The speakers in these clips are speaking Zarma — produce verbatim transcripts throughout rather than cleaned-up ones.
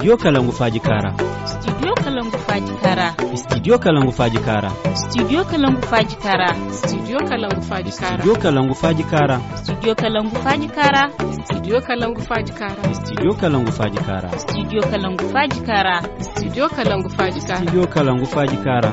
Studio kalangu faaji kaara. Studio kalangu faaji kaara. Studio kalangu faaji kaara. Studio kalangu faaji kaara. Studio kalangu faaji kaara. Studio kalangu faaji kaara. Studio kalangu faaji kaara. Studio kalangu faaji kaara. Studio kalangu faaji kaara. Studio kalangu faaji kaara. Studio kalangu faaji kaara. Studio kalangu faaji kaara.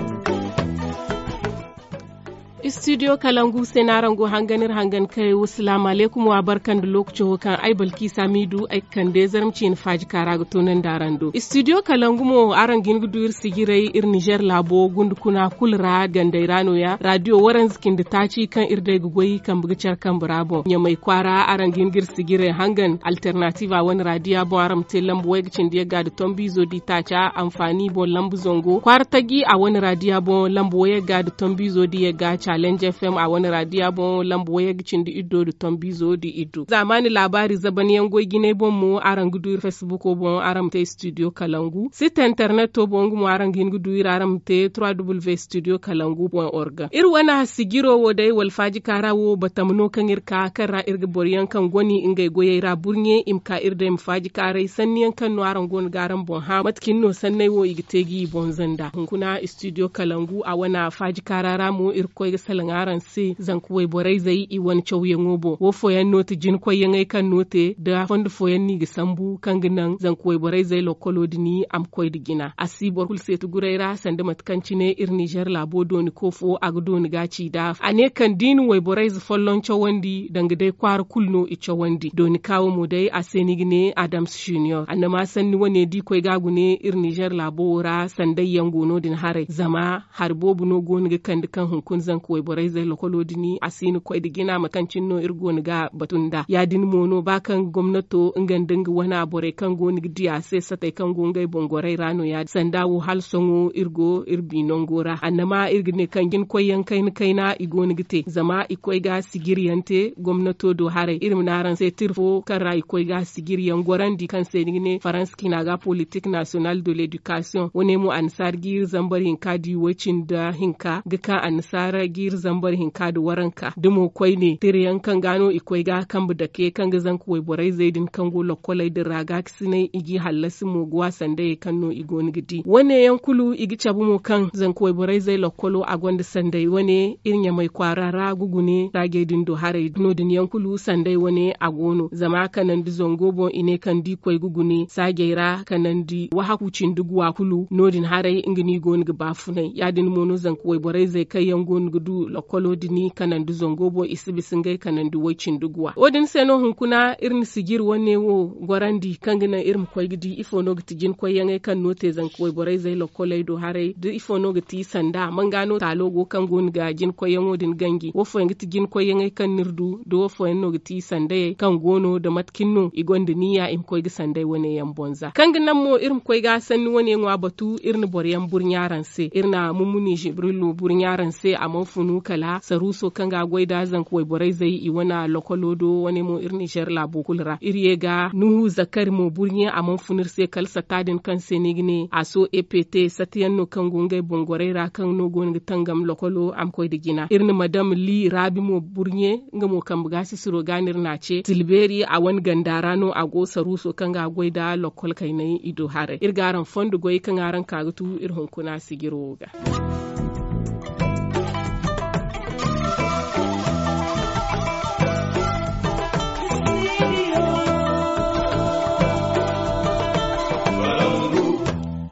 Studio kalangu se no araŋ go hangan iri hangan kay wo salaamu alaykum wa barka nda lookaco wo kaŋ ay balkiisa m'i du ay ga kande zarma ciine faaji kaara ga toonandi araŋ do. Studio kalangu mo araŋ ga hin ga du iri sijiray iri nizer laabo gunda kuna kulu ra gandey ra no- ya raadiyo waranza cindi taaci kaŋ iri day ga goy kambe ga care kambe ra boŋ ɲamay kwaara araŋ ga hin ga iri sijiray hangan alternatiiva wane raadiya boŋ araŋ ma te lamba wayga cindi yagga nda tombiizo di taaca anfaani boŋ lamba zango kwaara taji a wane raadiya boŋ lamba wayagga nda tombiizo di yagga challenge f m a wane raadiya boŋ lamba wayagga cindi iddo nda tombiizo di iddo zaamaani laabaari zaban yaŋ goy jinay boŋ mo araŋ ga du iri facebook boŋ araŋ ma te studio kalangu site internet boŋ nga mo araŋ ga hin ga du iri araŋ ma te trois w studio kalangu point org. Iri wane sijiro wo day wala faaji kaara wo batama no kaŋ iri ka kaŋ ra iri ga boro yaŋ kaŋ goni ngey goyey ra burɲe i ma ka iri day ma faaji kaaray sanni yaŋ kaŋ no araŋ go no ga araŋ boŋ hã mate cine no sanney wo i ga te ga i boŋ zanda hunkuna studio kalangu a wane faaji kaara ra mo iri ga koy ga salaŋ araŋ se zanka wayborey zey i wane cawyaŋo boŋ wo fooyaŋ no ti jinkoyyaŋey kaŋ no te nda fondo fooyaŋ no i ga sambu kaŋ ga naŋ zanka wayborey zey lokkolo din a ma koy nda jina a si boro kulu seeti guray ra sanda mate kaŋ cine iri nizer laabo dooni koofo a ga dooni ga ci nd'a a ne kaŋ da i na wayborey ze folloŋ cawandi danga day kwaara kulu no i cawandi dooni kaawo mo day a se ni ga ne adams junior annama sanni wane da i koy ga a gune iri nizer laabo wo ra sanday yaŋ go no- din haray zama hari boobo no go no ga kande kaŋ hunkuna zanka wayborey zey lokolo din a si na koy nda jina mate kaŋ cine no iri go no ga batu nd'a ya- din mo no ba kaŋ gomnato nga nda nga wana borey kaŋ go no ga di a se satey kaŋ go ngey boŋ gorey ra no- ya- din sanda wo hala sohõ iri go iri bi nango ra annama iri ga ne kaŋ jinkoyyaŋ kayna kayna i go no ga te zama i koy ga sijiri yaŋ te gomnato do haray iri ma ne araŋ se tira fo kaŋ ra i koy ga sijiri yaŋ gorandi kaŋ se ni ga ne faransa cina ga politik nasiyonal de ledikasiyoŋ wane mo annasaara ga iri zambar hinka da i way cindi hinka ga ka annasaara ga iri zambar hinka da waranka da mo koyne tira yaŋ kaŋ ga no i koy ga kambe dake kaŋ ga zanka wayborey zey din kaŋ go lokkoley din ra ga ga sinay i g'i hallasi mo ga wa sandayey kaŋ no i go no ga di wane yaŋ kulu i ga cabe mo kaŋ zanka wayborey zey lokkolo a gonda sanday wane iri ɲamay kwaara ra ga gune saajey din do haray no- din yaŋ kulu sanday wane a go no zama kanandi zango boŋ i ne kaŋ da i koy ga gune saajey ra kanandi wahaku cindi guwa kulu no- din haray nga no i go no ga baafunay ya- din mo no zanka wayborey zey kaŋ yaŋ go no ga du lokkolo din kanandi zango boŋ i si bisa ngey kanandi way cindi guwa wo- din se no hunkuna iri na sijiri wane wo gorandi kaŋ ga naŋ iri ma koy ga di ifo no ga ti jinkoyyaŋey kaŋ no te zanka wayborey zey lokkoley do haray da ifo no ga ti sanda manga no taalo go kaŋ go no ga jinkoyyaŋo din ganji wo fooyaŋ ga ti jinkoyyaŋey kaŋ no iri du da wo fooyaŋ no ga ti sandayey kaŋ go no da mate cine no i gonda niya i ma koy ga sanday wane yaŋ boŋ za kaŋ ga naŋ mo iri ma koy ga sanni wane ŋwa batu iri na boro yaŋ burɲa araŋ se iri na mummuni jibrilu burɲa araŋ se a mana funu kala saruuso kaŋ ga a goy nda zanka wayborey zey i wane lokolo do wane mo iri nizer laabo kulu ra iri ye ga nuhu zakari mo burɲe a mana funu iri se kala satta din kaŋ se ni ga ne a so e p t satta yaŋ no kaŋ go ngey boŋ gorey ra kaŋ no go no ga tangam lokolo a ma koy nda jina iri na madam li raabi mo burɲe nga mo kambe ga sisiro ga no iri n'a ce tilbeeri a wane ganda ra no a go saruuso kaŋ ga a goy nda lokkol kaynay i do haray iri ga araŋ fondo goy kaŋ araŋ ka ga tu iri hunkuna sijiro wo ga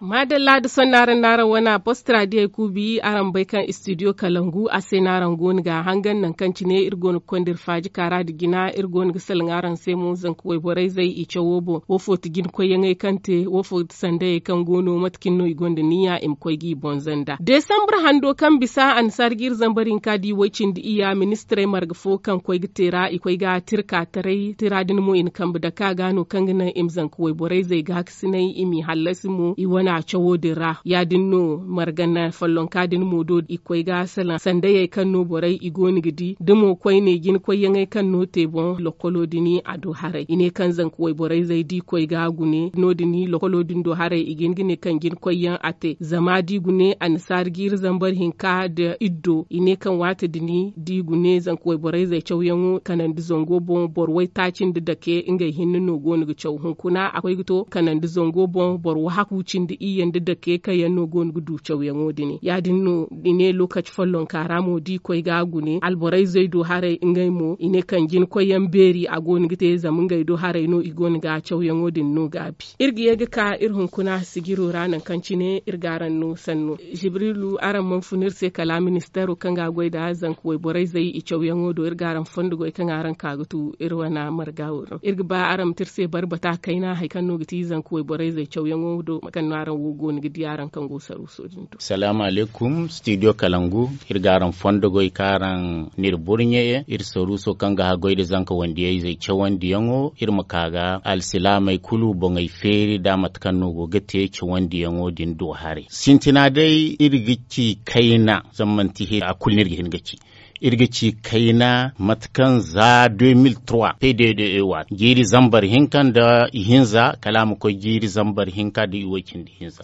maadalla da sonda araŋ no araŋ wane a post ra diyey kuubi araŋ ma bay kaŋ studio kalangu a se no araŋ go no ga a hangan nangu kaŋ cine iri go no ga konda iri faaji kaara nda jina iri go no ga salaŋ araŋ se mo zanka wayborey zey i cawo boŋ wo fo ti jinkoyyaŋey kaŋ te wo fo ti sandayey kaŋ go no mate cine no i gonda niya i ma koy ga i boŋ zanda desambur hando kaŋ bisa annasaara ga iri zambar hinka da i way cindi iyya ministirey marga fo kaŋ koy ga te ra i koy ga tirka taray tira din mo i na kambe dake a ga no kaŋ ga naŋ i ma zanka wayborey zey ga sinay i m'i hallasi mo i wane a cawo din ra. Ya- din no margana follonka din mo do i koy ga salaŋ sandayey kaŋ no borey i go no ga di da mo koyne jina koyyaŋey kaŋ no te boŋ lokolo din a do haray i ne kaŋ zanka wayborey zey da i koy ga gune no- din lokolo din do haray i ga hin ga ne kaŋ jina koyyaŋ a te zama da i gune annasaari jiiri zambar hinka nda iddo i ne kaŋ waati din da i gune zanka wayborey zey cawyaŋo kanandi zango boŋ boro waytaaci nda dake ngey hinne no go no ga caw hunkuna a koy ga to kanandi zango boŋ boro wahaku cindi iyye nda dake kaŋ yaŋ no go no ga du cawyaŋo din ya- din no i ne lookaci follonka ra mo da i koy ga a gune alborey zey do haray ngey mo i ne kaŋ jina koyyaŋ beeri a go no ga te zama ngey do haray no i go no ga cawyaŋo din no gaabi. Iri ga ye ga ka iri hunkuna sijiro ra nangu kaŋ cine iri ga araŋ no sanno. Jibrilu araŋ mana fun iri se kala ministeero kaŋ ga goy nda zanka wayborey zey i cawyaŋo do iri ga araŋ fondo goy kaŋ araŋ ka ga tu iri wane marga wo do iri ga ba araŋ ma te iri se barbata kayna hari kaŋ no ga ti zanka wayborey zey cawyaŋo do mate kaŋ no araŋ wo go no ga di araŋ kaŋ go saruuso din do. Salaamu alaykum studio kalangu. Iri ga araŋ fondo goy kaŋ araŋ n'iri burɲe iri saruuso kaŋ ga haggoy nda zanka wandiyey zey cawandiyaŋo iri ma ka ga alsilaamey kulu boŋey feeri nda mate kaŋ no go ga te cawandiyaŋo din do haray sintina day iri ga ci kayna zama manti hiri a kulu no iri ga hin ga ci iri ga ci kayna mate kaŋ za deux mille trois pdde waati jiiri zambar hinka nda ihinza kala a ma koy jiiri zambar hinka nda iway cindi ihinza.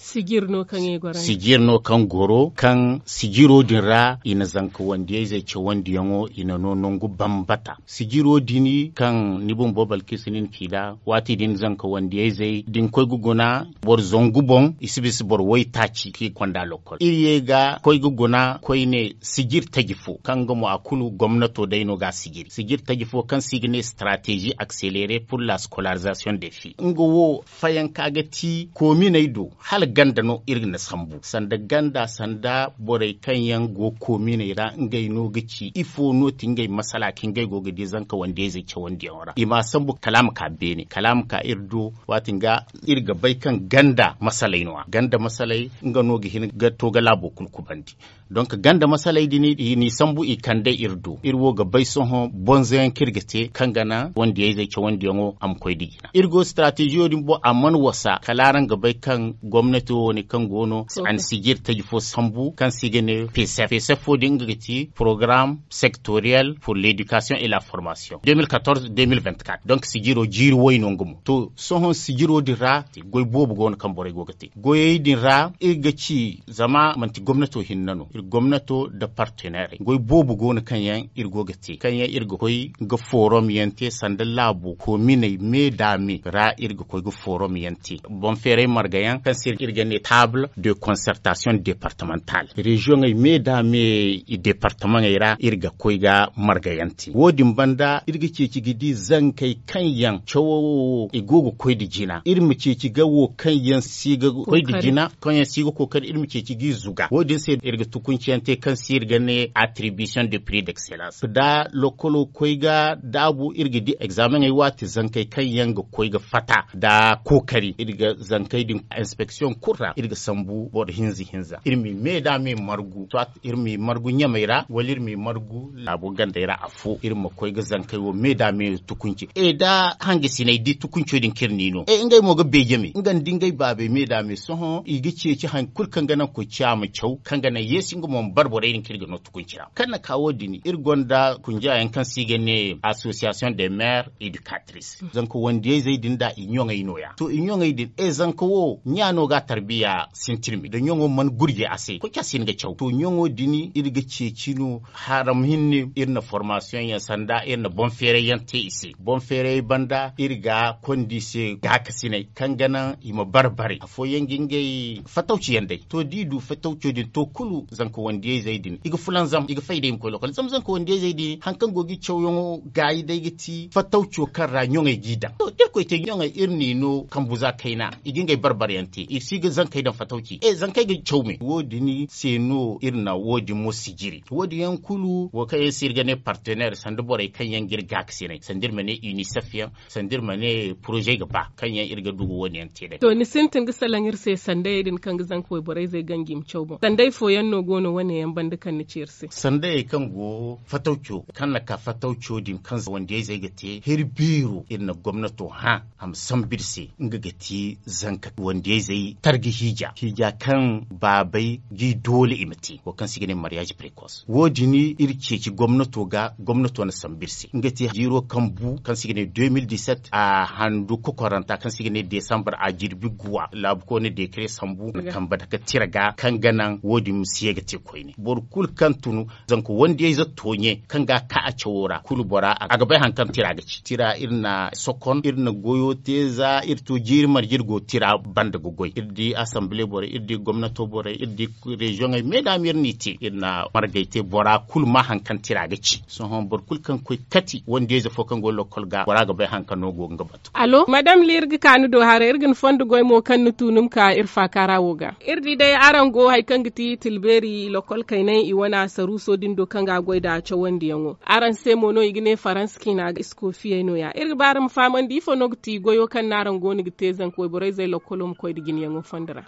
Sijir no kaŋ goro kaŋ sijiro din ra i na zanka wandiyayzey cawandiyaŋo i na no nangu bambata sijiro din kaŋ ni bumbo balkisu nin ci nd'a waati din zanka wandiyayzey da ni koy ga guna boro zangu boŋ i si bisa boro waytaaci kaŋ i konda lokol iri ye ga koy ga guna koyne sijir taji fo kaŋ nga mo a kulu gomnato day no ga a sijiri sijir taji fo kaŋ se i ga ne stratégie accélérée pour la scolarisation des filles nga wo fayanka ga ti koominey do hala ganda no iri ga ni sambu sanda ganda sanda borey kaŋ yaŋ go koominey ra ngey no ga ci ifo no ti ngey masala kaŋ ngey go ga di zanka wandiyayzey cawandiyaŋo ra i m'a sambu kala a ma ka beene kala a ma ka iri do waati nga iri ga bay kaŋ ganda masaley no- ya ganda masaley nga no ga hin ga to ga laabo kulu kubandi donk ganda masaley din i n'i sambu i kande iri do iri wo ga bay sohõ bonzoyaŋ kaŋ iri ga te kaŋ ga naŋ wandiyayzey cawandiyaŋo a ma koy nda jina iri go stratégie wo din boŋ a mana wasa kala araŋ ga bay kaŋ gomnati wo wane kaŋ go no a na sijir taji fo sambu kaŋ se i ga ne pesef pesef wo din nga ga ti programme sectoriel pour l'éducation et la formation deux mille quatorze deux mille vingt-quatre donk sijiro jiiri way no nga mo to sohõ sijiro din ra goy boobo go no kaŋ borey go ga te goyey din ra iri ga ci zama manti gomnato hinne no iri gomnato nda partenairey goy boobo go no kaŋ yaŋ iri go ga te kaŋ yaŋ iri ga koy ga forum yaŋ te sanda laabo koominey me da me ra iri ga koy ga forum yaŋ te boŋ feeray marga yaŋ kaŋ se iri ga ne table de concertation départementale reziyoŋey me da me i departamaŋey ra iri ga koy ga marga yaŋ te wo- din banda iri ga ceeci ga di zankey kaŋ yaŋ cawo wo i go ga koy nda jina iri ma ceeci ga wo kaŋ yaŋ si ga koy nda jina kaŋ yaŋ si ga kookari iri ma ceeci g'i zuga wo- din se iri ga tukunci yaŋ te kaŋ se iri ga ne attribution de prix d'excellence da lokolo koy ga daabu iri ga di egzameŋey waati zankey kaŋ yaŋ ga koy ga fatta nda kookari iri ga zankey din inspeksiyoŋ kulu ra iri ga sambu boro hinza hinza iri m'i me da me margu soit iri m'i margu ɲamey ra wala iri m'i margu laabo gandey ra afo iri ma koy ga zankey wo me da me tukunci e da hangasiney di tukunco din kaŋ iri n'i no e ngey mo ga beeje me nga nda ngey baabey me da me sohõ i ga ceeci hari kulu kaŋ ga naŋ koy ciya ma caw kaŋ ga naŋ yeesi nga mo ma bare borey din kaŋ iri ga no tukunci ra kaŋ na ka wo- din iri gonda kunjaayaŋ kaŋ se i ga ne association des maires éducateurs zanka wandiyayzey din nda i ɲoŋey no- ya to i ɲoŋey din e zanka wo ɲa no ga a tarbiya sintin me da ɲoŋo mana gurje a se koy ca si hin ga caw to ɲoŋo din iri ga ceeci no haram hinne iri na formasiyoŋ yaŋ sanda iri na boŋ feeray yaŋ te i se boŋ feeray banda iri ga konda i se gaakasiney kaŋ ga naŋ i ma bare bare afooyaŋ ga ngey fatawci yaŋ day to da i du fatawco din to kulu zanka wandiyayzey din i ga fulanzam i ga fay da i ma koy lokol zama zanka wandiyayzey din hari kaŋ go ga i cawyaŋo gaayi day ga ti fatawco kaŋ ra ɲoŋey g'i daŋ to da iri koy te ɲoŋey iri n'i no kambu za kayna i ga ngey bare bare yaŋ te i si ga zankey daŋ fatawci e zankey ga caw me wo- din se no iri na wo- din mo sijiri wo- din yaŋ kulu wo kaŋ yaŋ se iri ga ne partenaire sanda borey kaŋ yaŋ ga iri gaakasiney sanda iri ma ne unicef yaŋ sanda iri ma ne poroze ga ba kaŋ yaŋ iri ga du ga wo- ne yaŋ te day to ni sintin ga salaŋ iri se sandayey din kaŋ ga zanka wayborey zey ganji ma caw boŋ sanday fooyaŋ no Go no wane yaŋ banda kaŋ ni ci iri se. Sandayey kaŋ go fatawco kaŋ na ka fatawco din kaŋ wandiyayzey ga te heri beero iri na gomnato hã a ma sambu iri se. Nga ga ti zanka wandiyayzey targa hiija hiija kaŋ baabey g'i doole i ma te wo kaŋ se i ga ne mariyaazi precoce wo- din iri ceeci gomnato ga gomnato na sambu iri se nga ti jiiro kaŋ bu kaŋ se i ga ne deux mille dix-sept a handu kokoranta kaŋ se i ga ne desambar a jirbi guwa laabu koyne dekare sambu na kamba dake tira ga kaŋ ga naŋ wo- din ma si ye ga te koyne boro kulu kaŋ tun zanka wandiyayze tooɲe kaŋ ga a ka a cawo ra kulu bora a ga bay hari kaŋ tira ga ci tira iri na sokon iri na goyo te za iri to jiiri marje iri go tira banda ga goy iri di asamble borey iri di gomnato borey iri di reziyoŋey me da me iri n'i te iri na margey te bora kulu ma hari kaŋ tira ga ci sohõ boro kulu kaŋ ga koy kati wandiyayze fo kaŋ go lokol ga bora ga bay hari kaŋ no go ga nga batu. Alo madam li iri ga ka ni do haray iri ga ni fondo goy mo kaŋ ni tu ni ma ka iri faakaara wo ga iri di day araŋ go hari kaŋ ga ti tilbeeri lokol kaynay i wane saruuso din do kaŋ ga a goy nd'a cawandiyaŋo araŋ se mo no i ga ne faransa ciina ga iskoofiyey no- ya iri ga ba araŋ ma fahamandi ifo no ga ti goyo kaŋ no araŋ go no ga te zanka wayborey zey lokolo ma koy nda jinayaŋo fondo ra.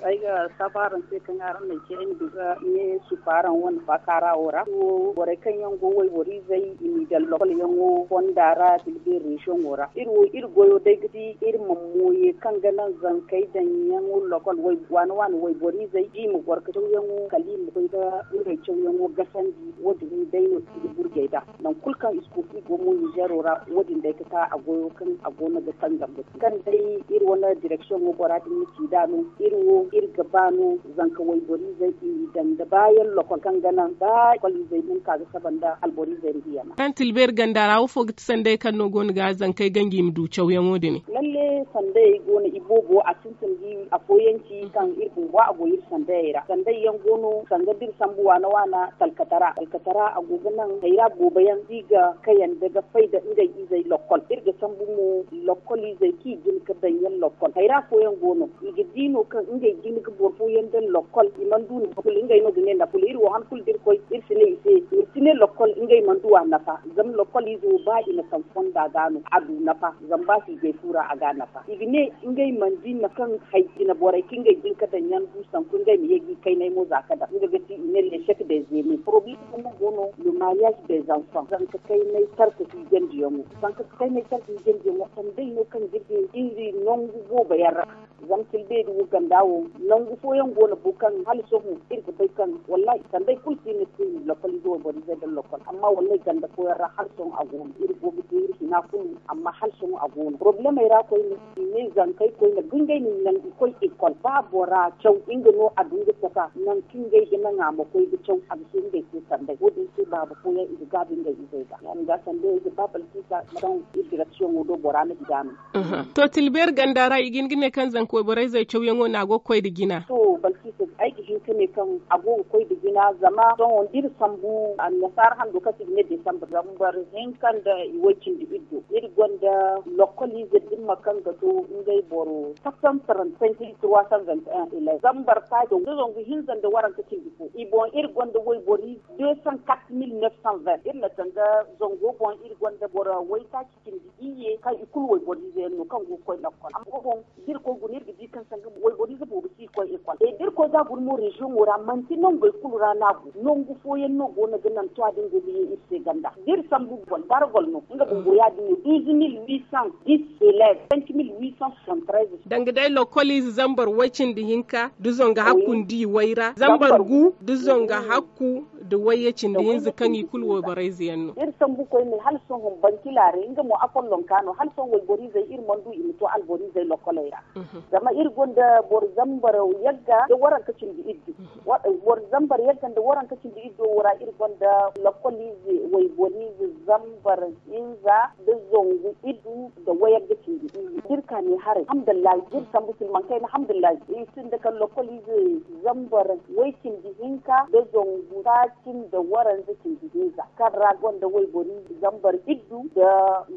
Ay ga saabu araŋ se kaŋ araŋ na ay ce ay ma du ga ne sufa araŋ wane faakaara wo ra. Borey kaŋ yaŋ go wayboro izey i m'i daŋ lokol yaŋo fonda ra da i ga beeri reziyoŋo ra iri wo iri goyo day ga di iri ma mooye kaŋ ga naŋ zankey daŋ yaŋo lokol waane waane wayboro izey da i ma goro ga cawyaŋo kala i ma koy ga ngey cawyaŋo gasandi. Wo- din day no i ga burjey nd'a nangu kulu kaŋ iskofi go mo ninzeero ra wo- din day ga ka a goyo kaŋ a go no ga tanzam ga kaŋ day iri wane direksiyoŋo bora din na ci nd'a no iri wo iri ga ba no zanka wayboro izey i n'i daŋ nda baayaŋ lokol kaŋ ga naŋ ba lokol izey ma hin ka ga saba nda alboro izey nda i yana. Kaŋ tilbeeri ganda ra wo fo ga ti sanday kaŋ no go no ga zankey ganji i ma du cawyaŋo din? Lalle sandayey go no iboobo a sintin da afooyaŋ ci kaŋ iri bumbo a go iri sandayey ra sanday yaŋ go no sanga da iri sambu waana waana talkatara talkatara a go ga naŋ hayra boobo yaŋ da i ga kayandi ga fay nda ngey izey lokkol iri ga sambu mo lokkol izey kaŋ i jin ga daŋ yaŋ lokkol hayra fooyaŋ go no i ga di no kaŋ ngey jin ga boro fooyaŋ daŋ lokkol i mana du nafa kulu ngey no ga ne nafa kulu iri wo han kulu da iri koy iri si ne i se i ma si ne lokkol ngey mana du a nafa. Zama lokkol ize wo ba i na taŋ fonda ga no a du nafa zama ba si i gay fu ra a ga a nafa i ga ne ngey mana di mate kaŋ hay jine borey kaŋ ngey jin ga daŋ yaŋ du sanku ngey ma ye ga i kaynay mo za ga daŋ nga ga ti i ne leesek de zeme poroblem mo go no le mariyaz de zanfan zanka kaynay tarka hiijandi yaŋo. Zanka kaynay tarka hiijandi yaŋo sanday no kaŋ ga di iri nangu boobo yaŋ ra. Zama tilbeeri wo ganda wo nangu fooyaŋ go no bo kaŋ hala sohõ iri ga bay kaŋ wallahi sanday kulu si no te lokol ize wo boro izey daŋ lokol amma wallahi ganda fooyaŋ ra hala sohõ a go no iri go ga te iri hina kulu amma hala sohõ a go no porobulemey ra koyne i ne zankey koyne ga ngey no i naŋ i koy ekol ba bora caw nga no a du nga saka naŋ kaŋ ngey ga naŋ a ma koy ga caw a ga si ngey te sanday wo- din se baaba fooyaŋ i ga gaabi ngey izey ga ya- din ga sanday ay ga ba balkisa kaŋ iri direksiyoŋo do bora na di ga no. To tilbeeri ganda ra i ga hin ga ne kaŋ zanka wayborey zey cawyaŋo no a go ga koy nda jina. To balkisa ay ga hin ga ne kaŋ a go ga koy nda jina zama sohõ da iri sambu annasaara hando kaŋ se i ga ne desambar zambar hinka nda i way cindi iddo iri gonda lokol ize dimma kaŋ ga to ngey boro kasantarantankili trois cent vingt un elef zambar taaco da zangu hinza nda waranka cindi fo i boŋ iri gonda waybori deux cent quatre mille neuf cent vingt iri na sanga zango boŋ iri gonda boro waytaaci cindi iyye kaŋ i kulu wayboro ize yaŋ no kaŋ go ga koy lakkol amma wo boŋ da iri koy guna iri ga di kaŋ sanga wayboro ize boobo si koy ekol e da iri koy ga guna mo reziyoŋo ra manti nangey kulu ra no a go nangu fooyaŋ no go no ga naŋ to a din go ga ye iri se ganda da iri sambu gol bargol no nga bumbo ya- din no douze mille huit cent dix elef cinq mille huit cent soixante treize. Danga day lokol ize zambar way cindi hinka da zonga hakku nda i way ra zambar gu da zonga hakku da wayye cindi hinza kaŋ i kulu wayborey ize yaŋ no. Iri sambu koyne hala sohõ bankilaaray nga mo afollonka no hala sohõ wayboro izey iri mana du i ma to alboro izey lokoley ra. Zama iri gonda boro zambar yagga nda waranka cindi iddu boro zambar yagga nda waranka cindi iddu wo ra iri gonda lokkol ize wayboro ize zambar hinza nda zangu iddu nda wayagga cindi iyye da iri ka ne haray alhamdulillahi da iri sambu silmankayna alhamdulillahi i sinda kala lokkol ize zambar way cindi hinka nda zangu taaci nda waranza cindi hinza. kaŋ ra gonda waybori zambar iddu nda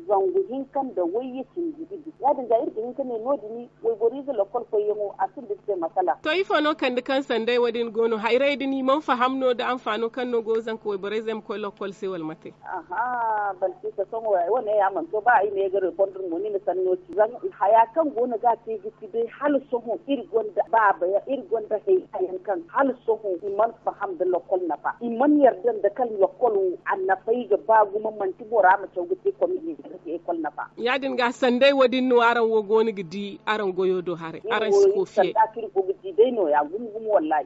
zangu hinka nda wayye cindi iddu. Ya- din ga iri ga hin ka ne no- din wayborize lokol koyyaŋo a sinda iri se masala. To ifo no kande kaŋ sanday wo- din go no hayrey din i mana faham no nda anfaano kaŋ no go zanka wayborey zey ma koy lokol se wala mate? Aha, balkisa sohõ ay wane ya mana to ba ay ne ay ga repondre mo ni na sanno ci zama haya kaŋ go no ga te ga ci day hala sohõ iri gonda baaba yaŋ iri gonda hayra yaŋ kaŋ hala sohõ i mana faham nda lokol nafa i mana yarda nda kaŋ lokol wo a nafa i ga ba gumo manti bora ma caw ga te komi ga te ekol nafa. Ya- din ga sanday wo- din no araŋ wo go no ga di araŋ goyo do haray araŋ si kofiye.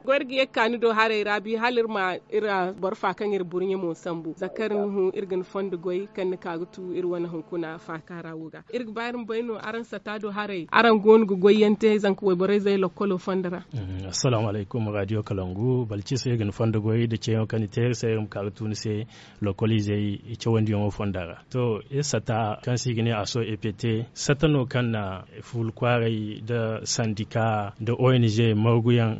Goy iri ga ye ga ka ni do haray ra bi hala iri ma iri boro fa kaŋ iri burɲe mo sambu zakari nuhu iri ga ni fondo goy kaŋ ni ka ga tu iri wane hunkuna faaka ra wo ga. Iri ga ba iri ma bay no araŋ sata do haray araŋ go no ga goyyaŋ te zanka wayborey zey lokkolo fondo ra. Assalaamu alaykum radio kalangu balciso iri ga ni fondo goy nda ceeyaŋo kaŋ ni te iri se iri ma ka ga tu ni se lokkol izey cawandiyaŋo fonda ra. To iri sata kaŋ se i ga ne aso ept sata no kaŋ na fuula kwaaray nda sandika nda ong margu yaŋ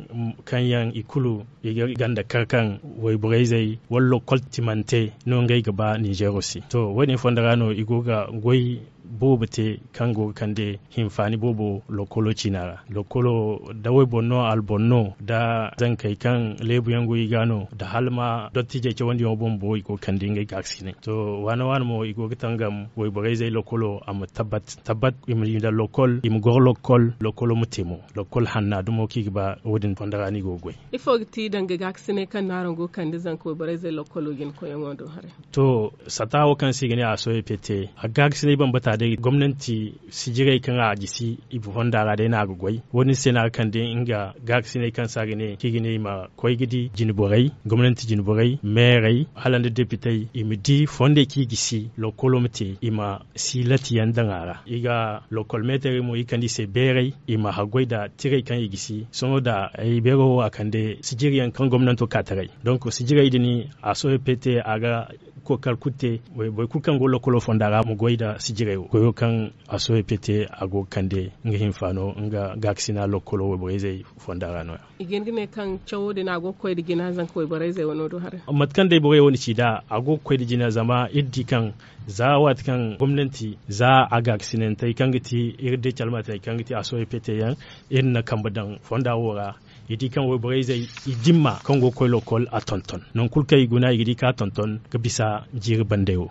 kaŋ yaŋ i kulu i ga ganda kar kaŋ wayborey zey wala lokkol timante no ngey ga ba ninzeero se. To wo- din fonda ra no i go ga goy boobo te kaŋ go ga kande hinfaani boobo lokkolo ciina ra. Lokkolo da wayboro no alboro no da zankey kaŋ leebu yaŋ go i ga no da hala ma dottijey cawandiyaŋo bumbo i go ga kande ngey gaakasinay. To waana waana mo i go ga tangam wayborey zey lokkolo a ma tabbat tabbat i ma daŋ lokkol i ma goro lokkol lokkolo ma te mo. Lokkol hanna dumo kaŋ i ga ba wo- din fonda ra no i go ga goy. Ifo ga ti danga gaakasinay kaŋ no araŋ go ga kande zanka wayborey zey lokkolo jina koyyaŋo do haray? To sata wo kaŋ se i ga ne a sohõ pete a gaakasinay bambata day gomnanti sijirey kaŋ a gisi i fonda ra day no a ga goy. Wo- din se no a ga kande nga gaakasinay kaŋ se a ga ne kaŋ i ga ne i ma koy ga di jine borey gomnanti jine borey meerey hala nda depitey i ma di fondey kaŋ i gisi lokkolo ma te i ma siilati yaŋ daŋ a ra i ga lokkol meetarey mo i kande i se beeray i ma haggoy nda tirey kaŋ i gisi sohõ nda ay beero wo a kande sijiri yaŋ kaŋ gomnanto ka taray. Donk sijirey din a sohõ pete a ga kookari kulu te boro kulu kaŋ go lokkolo fonda ra ma goy nda sijirey wo goyo kaŋ a sohõ pete a go ga kande nga hinfaano nga gaakasina lokkolo wayborey zey fonda ra no- ya. I ga hin ga ne kaŋ cawo din a go ga koy nda jina zanka wayborey zey wano do haray. Mate kaŋ day borey wo na ci nd'a a go ga koy nda jina zama iri di kaŋ za waati kaŋ gomnanti za a gaakasinantey kaŋ ga ti iri day calmatey kaŋ ga ti a sohõ pete yaŋ iri na kambe daŋ fonda wo ra. I di kaŋ wayborey zey i dimma kaŋ go ga koy lokkol a tonton nangu kulu kaŋ i guna i ga di kaŋ a tonton ga bisa jiiri bandey wo.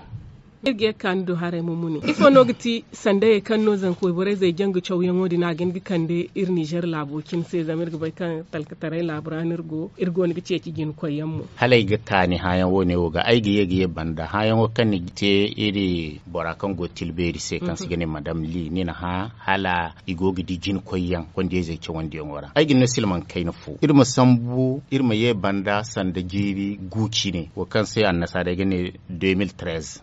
Iri ga ye ga ka ni do haray ma mune ifo no ga ti sandayey kaŋ no zanka wayborey zey janga cawyaŋo din a ga hin ga kande iri nizer laabo cine se zama iri ga bay kaŋ talkataray laabu ra no iri go iri go no ga ceeci jina koyyaŋ mo. Hala ay ga taani hããyaŋ wo- ne wo ga ay ga ye ga ye banda hããyaŋo kaŋ ni ga te iri bora kaŋ go ga tila beeri se kaŋ se i ga ne madam li ni na hã hala i go ga di jina koyyaŋ kondiyey zey cawandiyaŋo ra ay ga ni no silmaŋ kayna fo iri ma sambu iri ma ye banda sanda jiiri gu cine wo kaŋ se annasaarey ga ne deux mille treize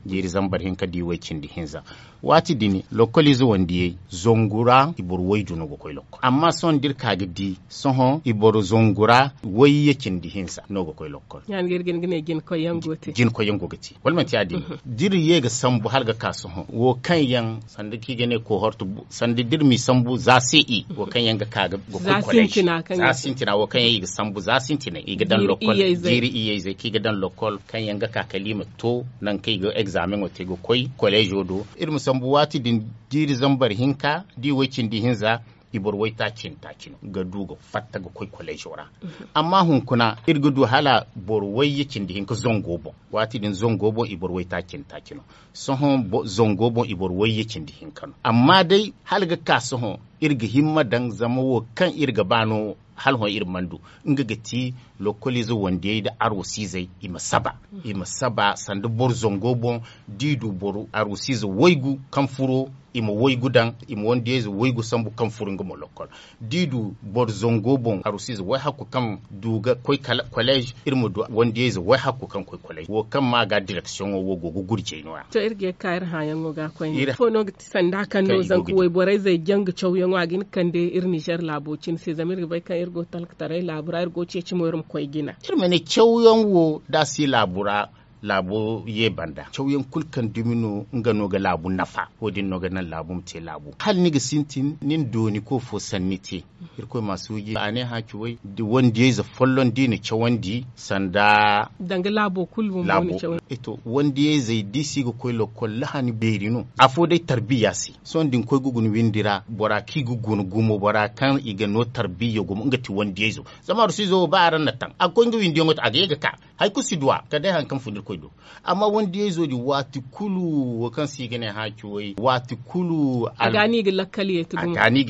jiiri zambar hinka da i way cindi hinza. Waati din lokkoliize wandiyey zangu ra i boro waydu no ga koy lokkol amma sohõ da iri ka ga di sohõ i boro zangu ra wayye cindi hinza no ga koy lokkol. Ya- din ga iri ga hin ga ne jina koyyaŋ go te jina koyyaŋ go ga te wala manti ya- din da iri ye ga sambu hala ga ka sohõ wo kaŋ yaŋ sanda kaŋ i ga ne kohorte sanda da iri m'i sambu za se i wo kaŋ yaŋ ga ka ga koy collège za sintina wo kaŋ yaŋ i ga sambu za sintinay i ga daŋ lokkol jiiri iyeyzey kaŋ i ga daŋ lokkol kaŋ yaŋ ga ka kala i ma to nangu kaŋ i ga exameŋo te ga koy collège do iri ma sambu waati din jiiri zambar hinka da i way cindi hinza i boro waytaaci nda taaci no ga du ga fatta ga koy collège ra. Amma hunkuna iri ga du hala boro wayye cindi hinka zango boŋ waati din zango boŋ i boro waytaaci nda taaci no. Sohõ zango boŋ i boro wayye cindi hinka no amma day hala ga ka sohõ iri ga himma daŋ zama wo kaŋ iri ga ba no hala hõ iri mana du nga ga ti lokkoliize wandiyey nda arwasiizey i ma saba i ma saba sanda boro zango boŋ da i du boro arwasiize waygu kaŋ furo i ma waygu daŋ i ma wandiyeyze waygu sambu kaŋ furo nga mo lokkol da i du boro zango boŋ arwasiize wayhakku kaŋ du ga koy kala collège iri ma du wandiyeyze wayhakku kaŋ koy collège wo kaŋ ma ga directiono wo go ga gurjay no- ya. To iri ga ye ga ka iri hããyaŋo ga koyne ifo no ga ti sanda kaŋ no zanka wayborey zey janga cawyaŋo a ga hin ga kande iri nizer laabo cine se zama iri ga bay kaŋ iri go talkataray laabu ra iri go ceeci mo iri ma koy jina. Iri ma ne cawyaŋ wo da a si laabu ra laabo ye banda cawyaŋ kulu kaŋ dumi no nga no ga laabu nafa. Wo- din no ga naŋ laabu ma te laabu hala ni ga sintin ni na dooni ko fo sanni te. Irkoy ma suuji a ne hã ci way wandiyayze folloŋ da i na cawandi sanda danga laabo kulu bumbo na cawandi. Wandiyayzey da i si ga koy lokkol lahani beeri no. Afo day tarbiya se sohõ da ni koy ga guna windi ra bora kaŋ i ga guna gumo bora kaŋ i ga no tarbiya gumo nga ti wandiyayzo. Zama arsuizo wo ba araŋ na taŋ a ga koy nga windiyaŋo te a ga ye ga ka. Hari kulu si duw'a kala day hari kaŋ fun irkoy do. Amma wandiyayzo din waati kulu wo kaŋ se i ga ne haaci way waati kulu a ga ni ga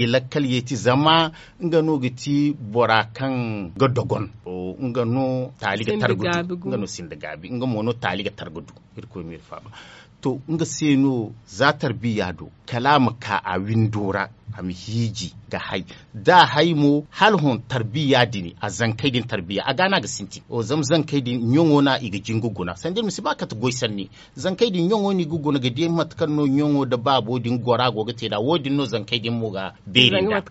lakkal yeeti zama nga no ga ti bora kaŋ ga dogon. Nga no taali ga targa du nga no sinda gaabi nga mo no taali ga targa du. Irkoy ma iri faaba. To nga se no za tarbiya do kala a ma ka a windo ra a ma hiiji ga hay. Da a hay mo hala hõ tarbiya din a zankey din tarbiya a ga no a ga sintin zama zankey din ɲaŋo no i ga jingu guna sanda iri ma si ba kate goy sanni. Zankey din ɲaŋo no i ga guna ga di mate kaŋ no ɲaŋo nda baabo din gora go ga te nd'a wo- din no zankey din mo ga beeri nd'a.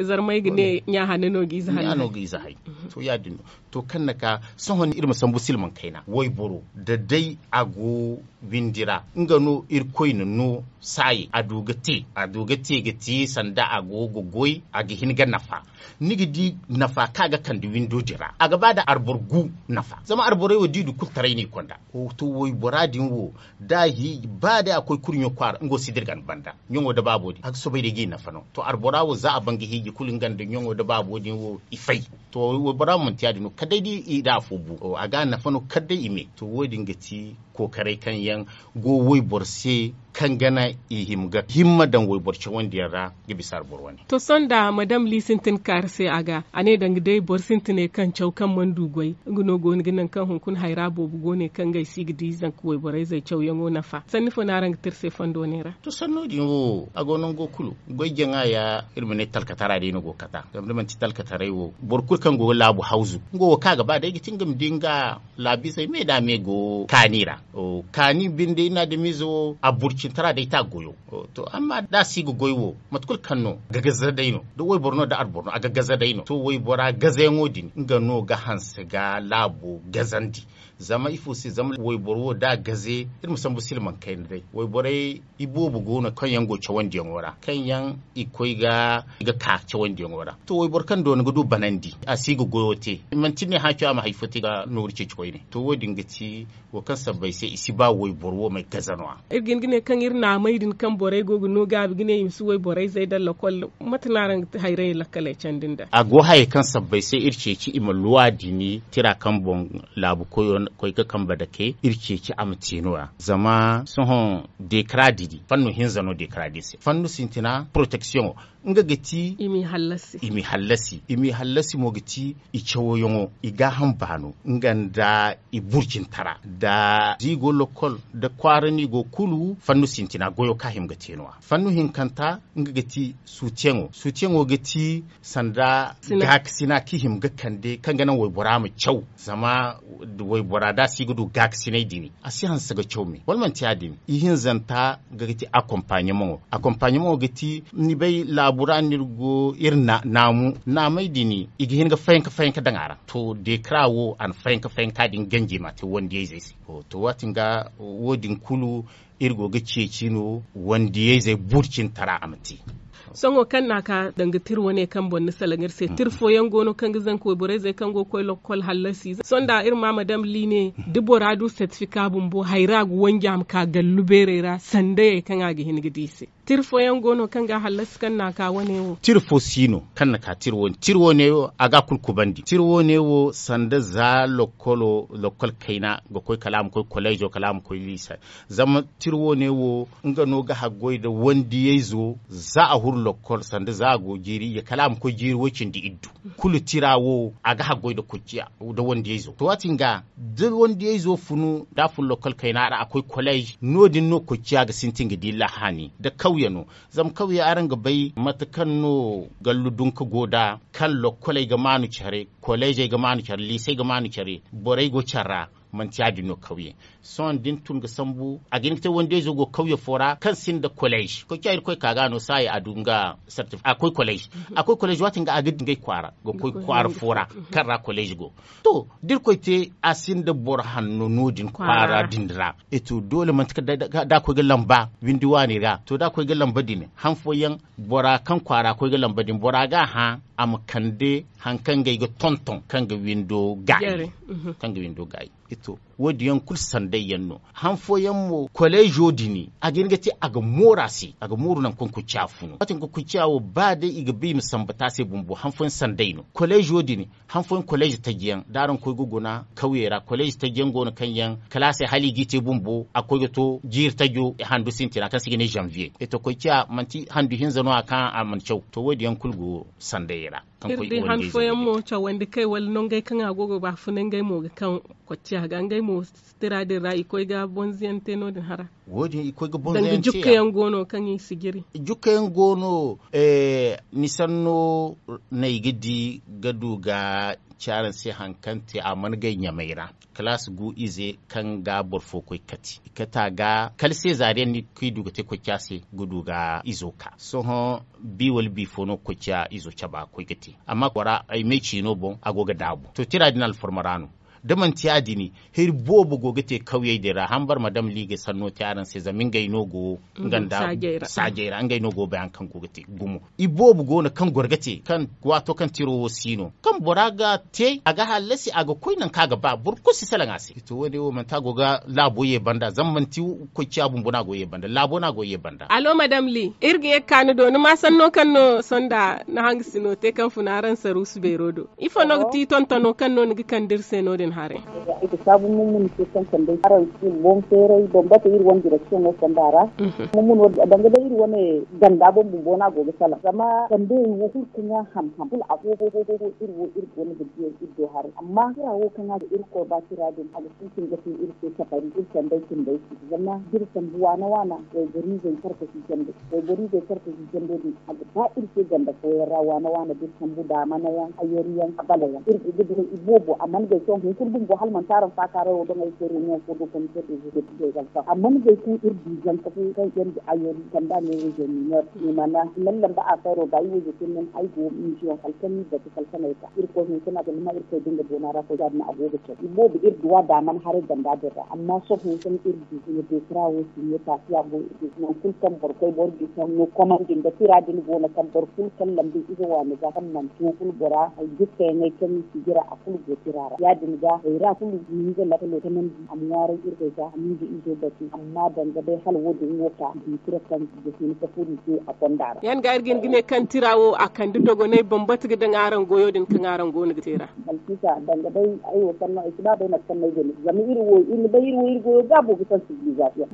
Zarmey ga ne ɲa hanno no ga ize hanno no ga ize hay. To ya- din no to kaŋ na ka sohõ iri ma sambu silmaŋ kayna wayboro da day a go windi ra nga no irkoy na no saayey a du ga te a du ga te ga te sanda a go ga goy a ga hin ga nafa. Ni ga di nafa kaŋ a ga kande windo din ra a ga ba nda arboro gu nafa zama arborey wo da i du kulu taray no i konda. To waybora din wo da a hiiji ba day a koy kurɲo kwaara nga wo si dirgan banda ɲaŋo nda baabo din a ga soobay day ga i nafa no to arbora wo za a ban ga hiiji kulu nga nda ɲaŋo nda baabo din wo i fay. To waybora mo manti ya- din no kala day da i da afo bu a ga nafa no kala day i me to wo- din ga ti kookaray kaŋ yaŋ go wayboro se kaŋ gana i hima ga himma daŋ wayboro cawandi yaŋ ra ga bisa arboro wane. To sohõ nda madam li sintin kaari se a ga a ne danga day boro sintiney kaŋ caw kaŋ mana du goy nga no go no ga naŋ kaŋ hunkuna hayra boobo go ne kaŋ ngey si ga di zanka wayborayzey cawyaŋo nafa sanni fo no araŋ ga te iri se fondo ne ra? To sanno din wo a go nango kulu goy jaŋa ya iri ma ne talkatara day no go ga kata zama da manti talkataray wo boro kulu kaŋ go ga laabu hawzu nga wo kaŋ a ga ba day ga ti nga ma di nga laabizey me da me go kaani ra. Kaani binde iri na adamize wo a burcintara day ta goyo. To amma da a si ga goy wo mate kulu kaŋ no gagaza day no da wayboro no da arboro no a gagaza day no to waybora gazayaŋo din nga no ga hanse ga laabo gazandi. Zama ifo se zama wayboro wo da a gaze iri ma sambu silmaŋ kayna day wayborey iboobo go no kaŋ yaŋ go cawandiyaŋo ra kaŋ yaŋ i koy ga ka cawandiyaŋo ra. To wayboro kaŋ doona ga du banandi a si ga goyo te manti ne haaco a ma hari fo te ga nooru ceeci koyne. To wo- din ga ti wo kaŋ sabbay se i si ba wayboro wo ma ay gaza no- ya. Iri ga hin ga ne kaŋ iri naamey din kaŋ borey go ga no gaabi ga ne i ma si wayborayzey daŋ lokol mate no araŋ ga te hayray lakkaley candi nd'a? A go hayey kaŋ sabbay se iri ceeci i ma luwa dini tira kaŋ boŋ laabu koyo koy ga kambe dake iri ceeci a ma te no- ya zama sohõ dekara didi fannu hinza no dekara di se fannu sintina poroteksiyoŋo. Nga ga ti i m'i hallasi mo ga ti i cawoyaŋo i gaaham baano nga nda i burjintara da ziigo lokol da kwaara no i go kulu fannu sintina goyo kaŋ a hima ga te no- ya fannu hinkanta nga ga ti suutiyaŋo suutiyaŋo ga ti sanda gaakasina kaŋ i hima ga kande kaŋ ga naŋ waybora ma caw zama waybora da a si ga du gaakasinay din a si hanse ga caw me wala manti ya- din ihinzanta ga ga ti akompaɲemaŋo akompaɲemaŋo ga ti ni bay laabu ra no iri go iri naamu naamey din i ga hin ga fayanka fayanka daŋ a ra to dekara wo a na fayanka fayanka din ganji ma te wandiyayzey se. To waati nga wo- din kulu iri go ga ceeci no wandiyayzey burcintara a ma te. Sohõ kaŋ no a ka danga tira wane kaŋ boŋ ni salaŋ iri se tira fooyaŋ go no kaŋ ga zanka wayborayzey kaŋ go ga koy lokol hallasi sohõ nda iri ma madam liine da bora du sertifika bumbo hayra ga wanji a ma ka gallu beerey ra sandayey kaŋ a ga hin ga di i se. Tira fooyaŋ go no kaŋ ga hallasi kaŋ no a ka wane wo tira fo si no kaŋ na ka tira wane tira wane wo a ga a kulu kubandi tira wane wo sanda za lokol kayna ga koy kala a ma koy koleezo kala a ma koy liisa. Zama tira wane wo nga no ga haggoy nda wandiyayzo za a huru lokkol sanda za a go jiiri ye kala a ma koy jiiri way-cindi iddu. Kulu tira wo a ga haggoy nda wandiyayzo to waati nga da wandiyayzo funu da a fun lokkol kayna ra a koy koleez no- din no koy ciya ga sintin ga di lahani nda kawye no. Zama kawye araŋ ga bay mate kaŋ no gallu dunka go nd'a kaŋ lokkoley ga maanu care koleezey ga maanu care liisey ga maanu care borey go care ra. Manti ya- din no kawye. Sohõ da ni tun ga sambu a ga hin ga te wande izo go kawye fo ra kaŋ sinda kolej koy ca irkoy ka ga no saayi a du nga sartif a koy kolej. A koy kolej waati nga a ga di ngey kwaara ga koy kwaara fo ra kaŋ ra kolej go. To da irkoy te a sinda boro hanno no- din kwaara din ra. E to doole manti kala da a koy ga lamba windi waani ra to da a koy ga lamba din han fooyaŋ bora kaŋ kwaara koy ga lamba din bora ga a hã a ma kande hari kaŋ ngey ga tonton kaŋ ga windo gaayi. Wo- din yaŋ kulu sanday yaŋ no. Han fooyaŋ mo koleezo din a ga hin ga te a ga mooru a se a ga mooru nangu kaŋ kuciya funu waati kaŋ kuciya wo ba day i ga ba i ma samba te a se bumbo han fooyaŋ sanday no koleezo din. Han fooyaŋ koleezi taji yaŋ da araŋ koy ga guna kawye ra koleezi taji yaŋ go no kaŋ yaŋ kala a se hala i g'i te bumbo a ga koy ga to jiiri tajo handu sintina kaŋ se i ga ne zanviye. E to koy ciya manti handu hinza no- ya kaŋ a mana caw to wo- din yaŋ kulu go sandayey ra. Kaŋ koy iri di han fooyaŋ mo cawandi kay wala nongey kaŋ a go ga baafuna ngey mo ga kaŋ kocciya ga ngey mo tira din ra i koy ga bonzo yaŋ te no- din hara. Wo- din i koy ga bonzo yaŋ te ya. Jukka yaŋ go no kaŋ i si jiri. Jukka yaŋ go no. Ni sanno no ay ga di ga du ga ci araŋ se hari kaŋ te a mana gay ɲamay ra kalaasi gu ize kaŋ ga boro fo koy kati i kati a ga kala se zaari yaŋ no kaŋ i du ga te koy ca se ga du ga izo ka sohõ. Bi wala bi fo no ga koy ca izo cabe a ga koy ga te amma bora ay me ciino boŋ a go ga daabu to tira din alfarma ra no. Da manti ya- din hiri boobo go ga te kawyey din ra hambara madam liige sanno te araŋ se zama ngey no go saajey ra ngey no go bay hari kaŋ go ga te gumo. I boobo go no kaŋ goro ga te kaŋ waato kaŋ tiro wo si no kaŋ bora ga te a ga hallasi a ga koy nangu kaŋ a ga ba boro kulu si salaŋ a se. To wo- din wo manti a go ga laabo ye banda zama manti koy ciya bumbo no a go ye banda laabo no a go ye banda. Alo madam li iri ga ye ga ka ni do ni ma sanno kaŋ no sonda ni hangasino te kaŋ funa araŋ saruusu beero do. Ifo no ga ti tontono kaŋ no ni ga kande iri se no- din haray? Ay ga saabu mummun se kaŋ kande araŋ si boŋ feeray bambata iri wane direksiyoŋo fonda ra. Mummun wo danga day iri wane ganda boŋ bumbo no a go ga salaŋ zama kande wo kulu kaŋ a ham ham kulu a fo fo fo iri wo iri wane ga diyay iri do haray amma tira wo kaŋ a ga iri koy ba tira din a ga sintin ga te iri se cabari iri kandey cindey se. Zama da iri sambu waana waana wayboriizey karkasi jando wayboriizey karkasi jando din a ga ba iri se ganda fooyaŋ ra waana waana da iri sambu daamana yaŋ ayori yaŋ abala yaŋ iri ga ga dira i boobo a mana gay sohõ hunkuna bumbo hala manti araŋ faakaaray wo doŋ ay se reunion fo do comité de gestion a mana gay kaŋ iri du zanka fo kaŋ iri ga ayori kanda ne région mineur i mana i mana lamba affaire wo ba i wo ga te men ay go mission kala kaŋ ni batu kala kaŋ ay ka irkoy hunkuna a ga lima irkoy da nga boona ra koy ya- din a go ga caw i boobo iri duwa daamana haray ganda din ra amma sohõ kaŋ iri du i na dekara wo sinye taasiya go nangu kulu kaŋ boro koy boro bisa no komandi nda tira din go no kaŋ boro kulu kaŋ lambu ize waani ga kaŋ manti wo kulu bora ay jikkayaŋey kaŋ i si jira a kulu go tira ra ya- din ga hayra kulu hinza lakkalo kanandi a ma ŋwaaray irkoy ga a ma nga izo batu amma danga day hala wo- din wo ka i du tira kaŋ ga hin ka furo i se a konda ra. Ya- din ga iri ga hin ga ne kaŋ tira wo a kande dogonay bambata ga daŋ araŋ goyo din kaŋ araŋ go no ga te ra. Balkisa danga day ay wo sanno ay si ba day mate kaŋ no ay ga ne zama iri wo iri ma bay iri wo iri goyo gaabo ga kaŋ sivilizasiyoŋ.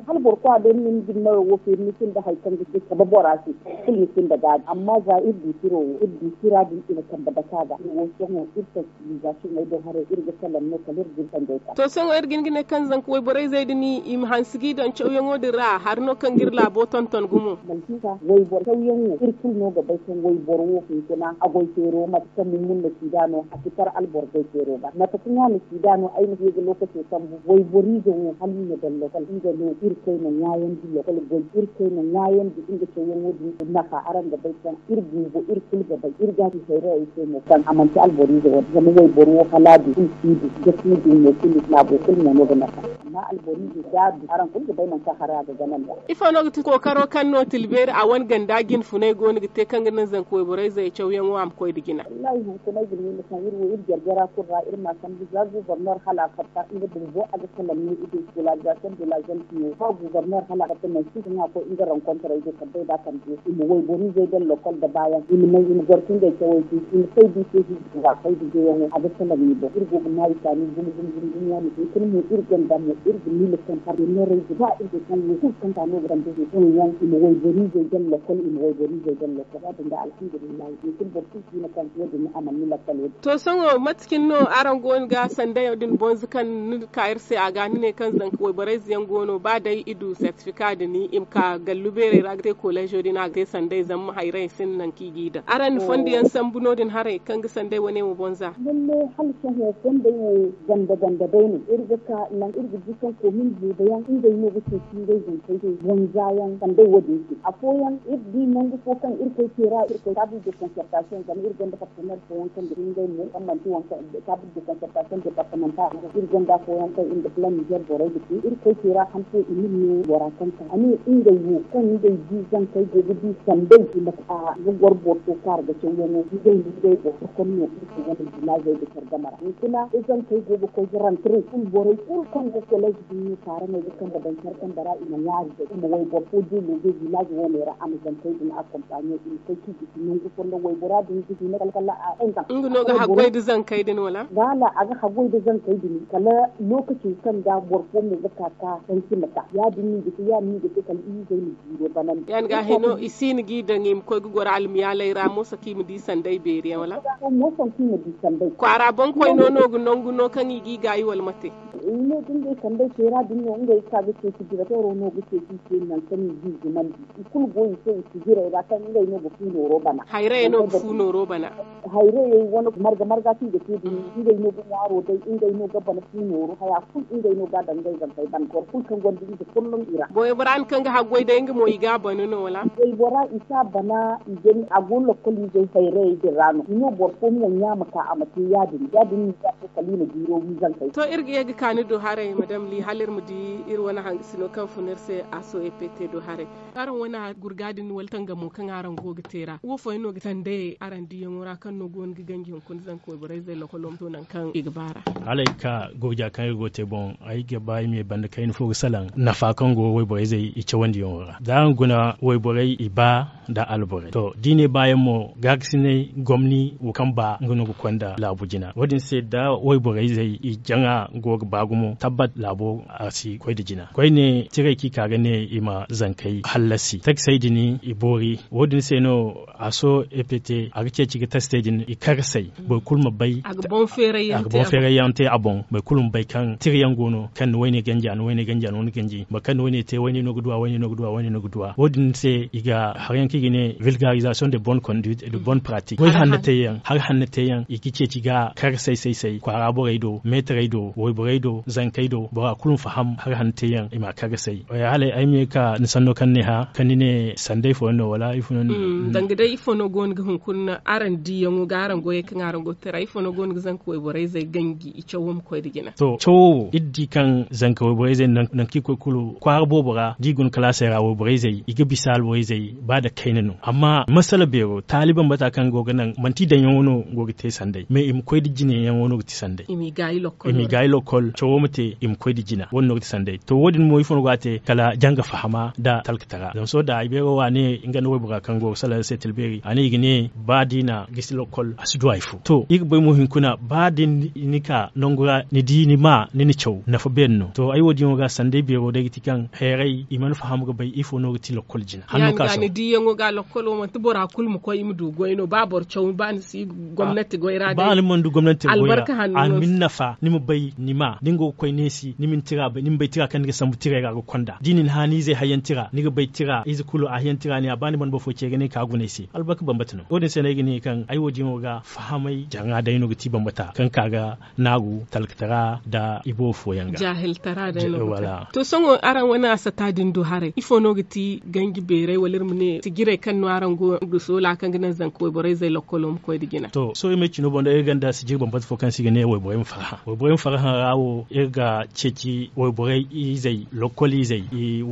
Hala boro kwa day ni na ni din mayo wo feeri ni sinda hari kaŋ ga te kabe bora se kulu ni sinda gaabi amma za iri du tiro wo iri du tira din i na kambe dake a ga iri wo sohõ iri kaŋ sivilizasiyoŋey do haray iri ga salaŋ no kala iri ga iri sanjey ka. To sohõ iri ga hin ga ne kaŋ zanka wayborey zey din i ma hanse g'i daŋ cawyaŋo din ra hari no kaŋ ga iri laabo tonton gumo. Balkisa wayboro cawyaŋ wo iri kulu no ga bay kaŋ wayboro wo hunkuna a goy feero mate kaŋ mummun na siida no a si kar alboro goy feero ga mate kaŋ a na siida no ay na heeji lookaco sambu wayboriize wo hala i na daŋ lokol nga no irkoy na ŋwaayandi lokol goy irkoy na ŋwaayandi nga cawyaŋo din nafa araŋ ga bay kaŋ iri bumbo iri kulu ga bay iri ga a ci hayrayey se mo kaŋ a manti alboriize wo zama wayboro wo hala a du kulu si du ga si du mo kulu laabo kulu mo no ga nafa. Amma alboriize da a du araŋ kulu ga bay nangu kaŋ haray a ga gana nd'a. Ifo no ga ti kookaro kaŋ no tilbeeri a wane ganda jinfunay go no ga te kaŋ ga naŋ zanka wayborayzey cawyaŋo a ma koy nda jina? Wallaahi hunkuna ay ga ne ni kaŋ iri wo iri jarjara kulu ra iri ma a sambu za guuborneer hala a fatta nga bumbo a ga salaŋ no i do skolarizaasiyoŋ de la zone piyo ba guuborneer hala a fatta nangu kulu kaŋ a koy nga rankontarey do kala day da a kande i ma wayboriizey daŋ lokol nda baayaŋ i ma naŋ i ma goro ka ngey cawey te i ma fay da i se hijji ra fay da jeyaŋo a ga salaŋ ni boŋ iri go ga ma i kaani gumo gumo gumo gumo ya- din hunkuna mo iri gonda mo iri ga miila kaŋ parteneerey ga ba iri ga kaŋ wo kulu kaŋ ka no ga dambe hunkuna yaŋ i ma wayboriizey daŋ lokol i ma wayboriizey daŋ lokol ya- din ga alhamdulillahi hunkuna boro kulu si no kaŋ wo- din a mana ni lakkal wo- din. To sohõ mate cine no araŋ go no ga sanday din bonza kaŋ ni ka iri se a ga ni ne kaŋ zanka wayborayze yaŋ go no ba day i du sertifika din i ma ka gallu beerey ra ga te koleezo din a ga te sanday zama hayrayey sinda nangu kaŋ i g'i daŋ araŋ na fondo yaŋ sambu no- din haray kaŋ ga sanday wane wo bonza? Lalle Hala sohõ fondey wo ganda ganda day no iri ga ka nangu iri ga di kaŋ komin buuba yaŋ ngey no ga ceeci ngey zankey din bonza yaŋ sanday wo- din se afooyaŋ iri di nangu fo kaŋ iri koy teera iri koy table de concertation zama iri gonda partenaire fooyaŋ kaŋ ga di ngey mo kaŋ manti waŋ kaŋ table de concertation departemental iri gonda afooyaŋ kaŋ iri ga plan nizer borey ga te iri koy teera han fo i ma ne bora kaŋ ka a ne ngey wo kaŋ ngey di zankey go ga di sanday i ma ka ga goro boro fo kaara ga cawyaŋo ngey no ngey boro fo kaŋ no iri ga gonda vilazey ga care game ra hunkuna izankey go ga koy ga rantare kulu borey kulu kaŋ go kolej din no kaara no ga kambe daŋ care kambe ra i ma ŋwaari day i ma wayboro fo deeloge vilaz wo- ne ra a ma zankey din akompaɲe i ma koy k'i gisi nangu fondo waybora din ga hina kala kala a engan nga no ga haggoy da zankey din wala baala a ga haggoy da zankey din kala lokaci kaŋ ga boro fo mo ga ka ka tanci ma ta ya- din no i ga te ya- din no i ga te kala i izey ma jiiro banandi ya- ni ga hino i si ni g'i daŋ i ma koy ga goro almiyaaley ra mooso kaŋ i ma di sanday beeri yaŋ wala mooso kaŋ i ma di sanday kwaara boŋkoy no no ga nangu no kaŋ i g'i gaayi wala mate i ne da ngey sanday teera din no ngey ga ka ga ceeci dira teero no ga ceeci i se nangu kaŋ i g'i zumandi i kulu go i se i si jirey ra kaŋ ngey no ga fu nooro bana hayrayey no ga fu nooro bana hayrayey wane marga marga kaŋ i ga te din ngey no ga ŋwaaro day ngey no ga bana fu nooro haya kulu ngey no ga a daŋ ngey zankey bana boro kulu kaŋ gonda ize folloŋ i ra goy bora ni kaŋ ga haggoy day nga mo i ga a bana no wala goy bora i si a bana i ga a go lokkol izey hayrayey din ra no i no boro fo mo ɲaama ka a ma te ya- din ya- din no i ga a to kala i ma jiiro wi zankey to iri ga ye ga ka ni do haray madam li hala iri ma di iri wane hangasino kaŋ fun iri se a so e pete do haray araŋ wane gurga din wala tangamo kaŋ araŋ go ga te ra wo fooyaŋ no ga sandayey araŋ diyaŋo ra kaŋ no go no ga ganji hunkuna zanka wayborey zey lokolo ma to nangu kaŋ i ga ba ra hala ay ga ka gurja kaŋ iri go ga te boŋ ay ga ba ay ma ye banda kayna fo ga salaŋ nafa kaŋ go wayborey zey i cawandiyaŋo ra da araŋ guna wayborey i ba nda alborey to da i ne baayaŋ mo gaakasinay gomni wo kaŋ ba nga no ga konda laabu jina wo- din se da wayborey zey i jaŋa go ga ba gumo tabbat laabo a si koy nda jina koyne tirey kaŋ i ka ga ne i ma zankey hallasi takisey din i boori wo- din se no a so epete a ga ceeci ga tastey din i karsey boro kulu ma bay a ga boŋ feeray yaŋ te a boŋ boro kulu ma bay kaŋ tira yaŋ go no kaŋ ni wayne ganji a ni wayne ganji a ni wayne ganji boro kaŋ ni wayne te wayne no ga duwa wayne no ga duwa wayne no ga duwa wo- din se i ga hari yaŋ kaŋ i ga ne vilgarizasiyoŋ de bonne conduite de bonne pratique hari hanna te yaŋ hari hanna te yaŋ i ga ceeci ga kar say say say kwaara borey do meetarey do wayborey do zankey do bora kulu ma faham hari hanna te yaŋ i ma a kar ga say hala ay ma ye ga ka ni sanno kaŋ ni ne hã kaŋ ni ne sanday fooyaŋ no wala ifo no ni ne danga day ifo no go no ga hunkuna araŋ diyaŋo ga araŋ goyey kaŋ araŋ go ga te ra ifo no go no ga zanka wayborey zey ganji i cawo ma koy nda jina to cawo wo iri di kaŋ zanka wayborey zey nangu kaŋ i koy kulu kwaara boobo ra da i guna kalaasey ra wayborey zey i ga bisa alborey zey ba nda kayna no amma masala beero taali bambata kaŋ go ga naŋ manti i daŋyaŋo no go ga te sanday mais i ma koy nda jinayaŋo no ga ti sanday i m'i gaayi lokkol cawo ma te i ma koy nda jina wo- din no ga ti sanday to wo- din mo ifo no go a te kala janga fahama nda talkatara zama sohõ da ay beero wo a ne nga nda waybora kaŋ go ga salaŋ se talbeeri a ne i ga ne ba da i na gisi lokkol a si du hari fo to iri ga bay mo hinkuna ba da ni ka nangu ra ni di ni ma ni na caw nafa beeri no to ay wo- din wo ga sanday beero day ga ti kaŋ hayray i mana faham ga bay ifo no ga ti lokkol jina hanno ka sohõ ni diyaŋo ga lokkol wo manti bora kulu ma koy i ma du goy no ba boro caw ba ni si gomnati goy ra ba ni mana du gomnati goy ra a ma ni nafa ni ma bay ni ma da ni go ga koy neesi ni ma ni tira bay ni ma bay tira kaŋ ni ga sambu tiray ra ga konda da i na ni hã ni izey hayyaŋ tira ni ga bay tira ize kulu a hayyaŋ tira ne a ba ni mana boro fo ce ga ne ka guna ay se albarka bambata no wo- din se no ay ga ne kaŋ ay wo- din wo ga fahamay jaŋa day no ga ti bambata kaŋ ka ga naaru talkatara nda i boobo fooyaŋ ga jaahiltara day no ga ti to sohõ araŋ wane asata din du haray ifo no ga ti ganji beeray wala iri ma ne sijirey kaŋ no araŋ go ga soola kaŋ ga naŋ zanka wayborey zey lokkolo ma koy nda jina to sohõ iri ma ay cino boŋ day iri gonda sijiri bambata fo kaŋ se i ga ne wayborey ma farhã wayborey ma farhã ra wo iri ga ceeci wayborey izey lokkol izey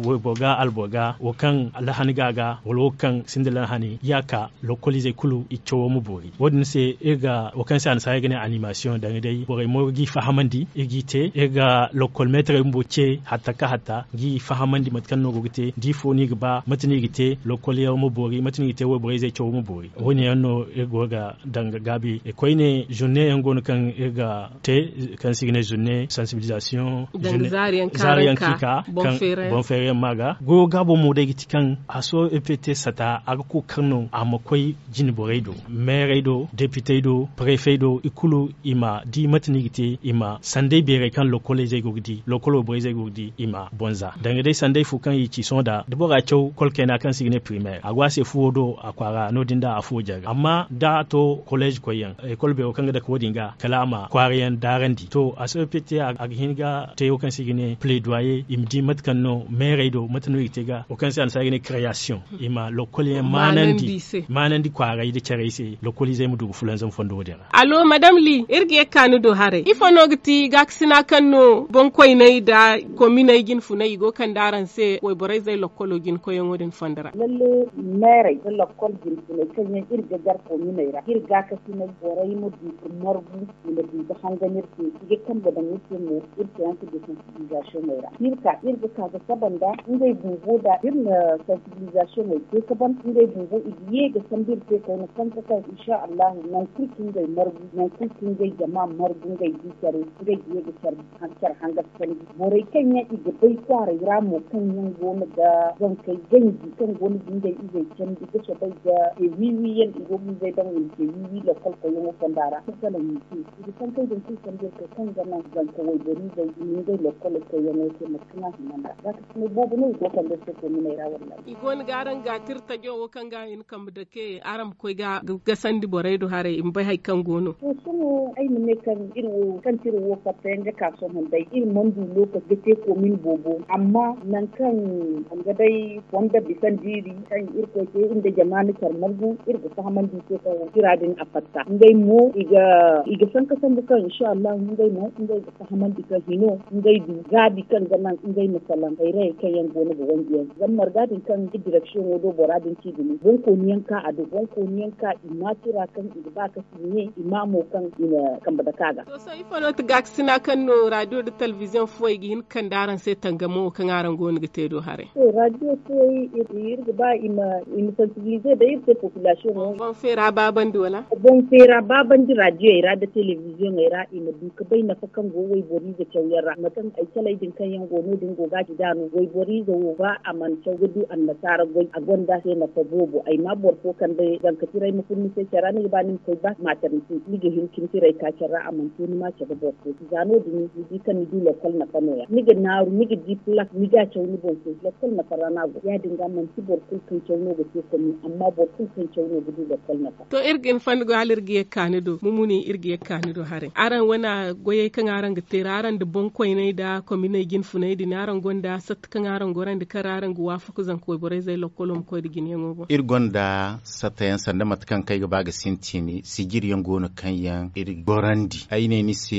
wayboro ga alboro ga wo kaŋ lahani ga a ga wala wo kaŋ sinda lahani ya ka lokkol izey kulu i cawo ma boori wo- din se iri ga wo kaŋ se annasaarey ga ne animasiyoŋ danga day borey mo ga i fahamandi iri g'i te iri ga lokkol meetarey bumbo ce hatta ka hatta g'i fahamandi mate kaŋ no go ga te da ifo no i ga ba mate no i ga te lokkol yaŋ ma boori mate no i ga te wayborey zey cawo ma boori wo- ne yaŋ no iri go ga danga gaabi koyne zurne yaŋ go no kaŋ iri ga te kaŋ se i ga ne zurne sansibilizasiyoŋ zaari yaŋ kaŋ i ka boŋ feere yaŋ ma ga goyo gaabo mo day ga ti kaŋ a so ept sata a ga kookar no a ma koy jine borey do meerey do depitey do prefey do i kulu i ma di mate no i ga te i ma sanday beerey kaŋ lokoley zey go ga di lokolo borey zey go ga di i ma bonza danga day sanday fo kaŋ i ci sohõ da da bora caw kolkayna kaŋ se i ga ne primaire a go a se fuwo do a kwaara no- din da a fuwo jare amma da a to kolej koyyaŋ ekol beero kaŋ ga dake wo- din ga kala a ma kwaara yaŋ daarandi to a sohõ pete a ga hin ga te wo kaŋ se i ga ne plaidoyer i ma di mate kaŋ no meerey do mate no i ga te ga wo kaŋ se annasaara ga ne création i ma lokkol yaŋ maanandi kwaaray nda carey se lokkol izey ma du ga fulanzam fondo wo- din ra. Allo madame li iri ga ye ga ka ni do haray ifo no ga ti gaakasina kaŋ no boŋkoyney nda kominey jinfuney i go ga kande araŋ se wayborey zey lokkolo jinkoyyaŋo din fondo ra? Lalle meerey nda lokkol jinfuney kaŋ yaŋ iri ga gar kominey ra iri gaakasiney borey ma du ga margu i ma du ga hangan iri se i ga kambe daŋ iri se mo iri se yaŋ se ga sensibilisation ey ra iri ka iri ga ka ga saba nda ngey bumbo da iri na sensibilisation ey te ga ban ngey bumbo i ga ye ga sambu iri se koyne sanka kaŋ insha allahu nangu kulu kaŋ ngey margu nangu kulu kaŋ ngey jama margu ngey di care ngey ga ye ga care hangan sanji borey kaŋ yaŋ i ga bay kwaaray ra mo kaŋ yaŋ go no ga zankey ganji kaŋ go no ga ngey izey candi ga soobay ga te wiiwi yaŋ i go ga ngey daŋ i ma te wiiwi lokkol koyyaŋo fonda ra salaŋ i ma te i ga sankey din kulu sambu iri se kaŋ ga naŋ zanka wayboriizey i ma ngey lokkol koyyaŋo te mate kaŋ a hima nd'a za ka sinay boobo no i go kande iri se kominey ra wallahi. I go no ga araŋ ga tira tajo wo kaŋ ga i na kambe dake araŋ ma koy ga gasandi borey do haray i ma bay hari kaŋ go no. To sohõ ay ma ne kaŋ iri wo kaŋ tira wo fatta yaŋ ga ka sohõ day iri mana du lokaci ga te komin boobo amma nangu kaŋ a ga day fonda bisandi iri kaŋ irkoy te iri nda jama na care margu iri ga fahamandi i se kaŋ wo tira din a fatta ngey mo i ga sanka sambu kaŋ insha allahu ngey mo ngey ga fahamandi kaŋ hino ngey du gaabi kaŋ ga naŋ ngey ma salaŋ hayrayey kaŋ yaŋ go no ga wanji yaŋ zama marga din kaŋ ga direksiyoŋo do bora din ci dumi boŋkooni yaŋ ka a do boŋkooni yaŋ ka i ma tira kaŋ i ga ba ka sinye i ma mo kaŋ i na kambe dake a ga. To sohõ ifo no ti gaakasina kaŋ no radio nda telebiziyoŋ fuwey ga hin ga kande araŋ se tangamo wo kaŋ araŋ go no ga te do haray? To radio fuwey iri ga ba i ma sansibilize day iri se populasiyoŋo. Boŋ feera baabandi wala? Boŋ feera baabandi radiyey ra nda telebiziyoŋey ra i ma du ga bay nafa kaŋ go wayboriize cawyaŋ ra mate kaŋ ay caley din kaŋ yaŋ go no- din go ga a ci da no wayboriize wo ba a mana caw ga du annasaara goy a gonda se nafa boobo ay ma boro fo kande zanka tiray ma fun ni se care ra ni ga ba ni ma koy ba maternite ni ga hin ga ni tiray ka care ra a mana to ni ma cabe boro fo si za no- din ni di kaŋ ni du lokkol nafa no- ya ni ga naaru ni ga di plak ni ga a caw ni boŋ se lokkol nafa ra no a go ya- din ga manti boro kulu kaŋ caw no ga te komin amma boro kulu kaŋ caw no ga du lokkol nafa. To iri ga hin fanda goy hala iri ga ye ga ka ni do mumuni iri ga ye ga ka ni do haray araŋ wane goyey kaŋ araŋ ga te ra araŋ nda boŋkoyney nda kominey jinfuney din araŋ gonda satta kaŋ araŋ gorandi kaŋ ra araŋ ga waafaku zanka wayborey zey lokkolo ma koy nda jineyaŋo boŋ. Iri gonda satta yaŋ sanda mate kaŋ kaŋ ay ga ba ga sintin sijiri yaŋ go no kaŋ yaŋ iri gorandi ay ne ni se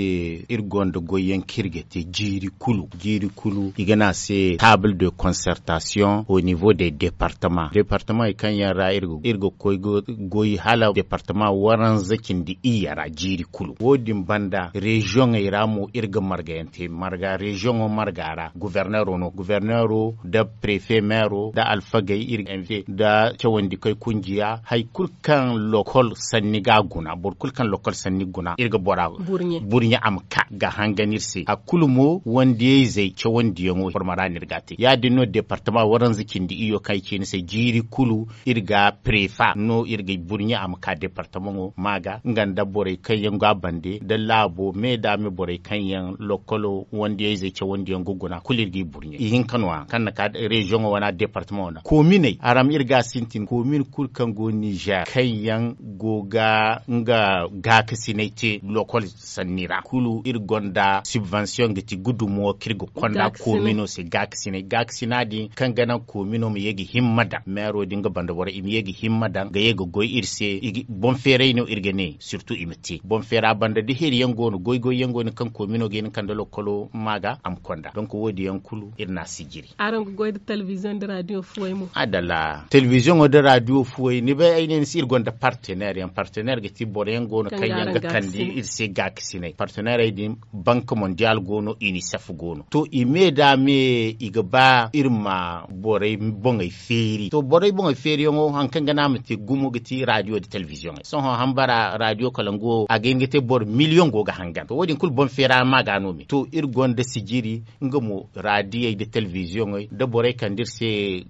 iri gonda goy yaŋ kaŋ iri ga te jiiri kulu jiiri kulu i ga ne a se table de concertation au niveau de departement departement kaŋ yaŋ ra iri ga koy ga goy hala departement waranza cindi iyye ra jiiri kulu wo- din banda reziyoŋey ra mo iri ga marga yaŋ te marga reziyoŋo marga ra governeero no governeero nda prefe meero nda alfagey iri ga invite nda cawandikey kunjiya hari kulu kaŋ lokkol sanni ga a guna boro kulu kaŋ lokkol sanni ga guna iri ga bora burɲe a ma ka ga hangan iri se hari kulu mo wandiyayzey cawandiyaŋo forma ra no iri ga a te ya- din no departama waranza cindi iyyo kaŋ ay ci ni se jiiri kulu iri ga prefa no iri ga burɲe a ma ka departamaŋo ma ga nga nda borey kaŋ yaŋ go a bande nda laabo me da me borey kaŋ yaŋ lokkolo wandiyayzey cawandiyaŋ ga guna kulu iri ga i burɲe ihinka no- ya kaŋ na ka reziyoŋo wane departamaŋo ra kominey araŋ ma iri ga a sintin komin kulu kaŋ go nizer kaŋ yaŋ go ga nga gaakasinay te lokkol sanni ra kulu iri gonda subvention ga ti gudumo kaŋ iri ga konda komino se gaakasinay gaakasina din kaŋ ga naŋ komino ma ye ga himma daŋ meero din ga banda boro i ma ye ga himma daŋ ga ye ga goy iri se boŋ feeray no iri ga ne surtout i ma te boŋ feera banda da heri yaŋ go no goy goy yaŋ go no kaŋ komino ga hin kande lokkolo ma ga a ma konda donk wo- din yaŋ kulu iri na a sijiri. Araŋ ga goy nda telebiziyoŋ nda radio fuwey mo? Adala telebiziyoŋo nda radio fuwey ni bay ay ne ni se iri gonda partenaire yaŋ partenaire ga ti boro yaŋ go no kaŋ yaŋ ga kande iri se gaakasinay partenairey din bank mondial go no unicef go no to i me da me i ga ba iri ma borey boŋey feeri to borey boŋey feeriyaŋo hari kaŋ ga naŋ a ma te gumo ga ti radio nda telebiziyoŋey sohõ hambara radio kalangu wo a ga hin ga te boro miliyoŋ go ga hangan to wo- din kulu boŋ feera ma ga no me to iri gonda sijiri nga mo radiyey nda telebiziyoŋey nda borey kaŋ nda iri se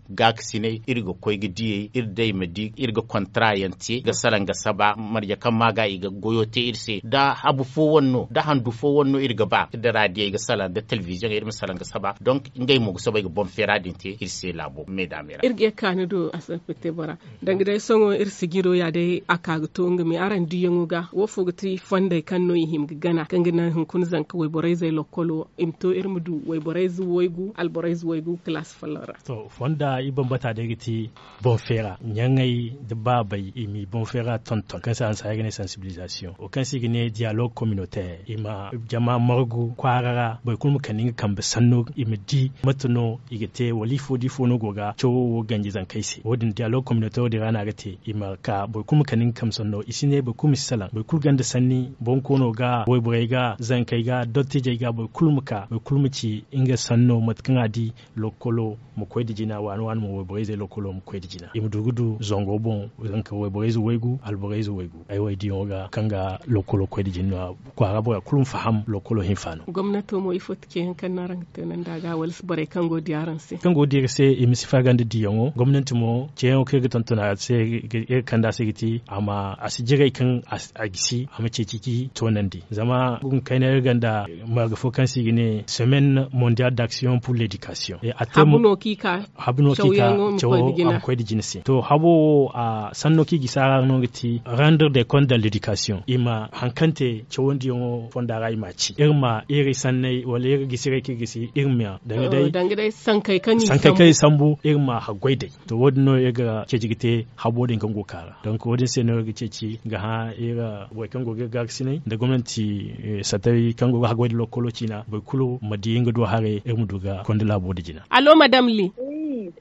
gaakasinay iri ga koy ga diyey iri day ma di iri ga kontra yaŋ te ga salaŋ ga saba marje kaŋ ma ga i ga goyo te iri se da habu fo wane no da handu fo wane no iri ga ba iri da radiyey ga salaŋ da telebiziyoŋey iri ma salaŋ ga saba donk ngey mo ga soobay ga boŋ feera din te iri se laabo me da me ra. Iri ga ye ga ka ni do a se ga te bora danga day sohõ iri sijiro ya day a ka ga to nga me araŋ diyaŋo ga wo. Fo ga ti fondey kaŋ no i hima ga gana kaŋ ga naŋ hunkuna zanka wayborey zey lokkolo i ma to iri ma du wayborey zey waygu alborey zey waygu kalaasi folloŋ ra. To fonda i bambata day ga ti boŋ feera ɲaŋey nda baabey i m'i boŋ feera tonton kaŋ se a hanse ay ga ne sansibilizasiyoŋ wo kaŋ se i ga ne diyalog kominotaire i ma jama margu kwaara ra boro kulu ma kande nga kambe sanno i ma di mate no i ga te wala ifo da ifo no go ga cawo wo ganji zankey se wo- din diyalog kominotaire wo- din ra no a ga te i ma ka boro kulu ma kande nga kambe sanno i si ne boro kulu ma si salaŋ boro kulu gonda sanni bonkoono ga wayborey ga zankey ga dottijey ga boro kulu ma ka boro kulu ma ci nga sanno mate kaŋ a di lokkolo ma koy nda jina waani waani mo wayborey zey lokkolo ma koy nda jina i ma du ga du zango boŋ zanka wayborey ze waygu alborey ze waygu ay wo ay diyaŋo ga kaŋ ga lokkolo koy nda jina kwaara bora kulu ma faham lokkolo hinfaano. Gomnato mo ifo ti ceeyaŋ kaŋ no araŋ ga te nanda ga wala borey kaŋ go ga di araŋ se kaŋ go ga di iri se i ma si farga nda diyaŋo gomnanti mo ceeyaŋo kaŋ iri ga tonton a se iri ga kande a se ga ti a ma a si jiray kaŋ a gisi a ma ceeci ga toonandi zama gunkayna iri gonda marga fo kaŋ se i ga ne semaine mondiale d'action pour l'éducation. Habu no kaŋ i ka cawo a ma koy nda jina se to habo wo a sanno kaŋ i gisi a ra no ga ti rendre de compte de l'éducation i ma hari kaŋ te cawandiyaŋo fonda ra i m'a ci iri ma iri sanney wala iri gisiray kaŋ i gisi iri ma danga day sankey kaŋ i sambu iri ma haggoy day. To wo- din no iri ga ceeci ga te habo din kaŋ go ga ka ra donk wo- din se no iri ga ceeci ga hã iri borey kaŋ go ga iri gaakasinay nda gomnanti sattawey kaŋ go ga haggoy nda lokkolo ciina boro kulu ma di nga do haray iri ma du ga konda laabo din jina. Allo madam li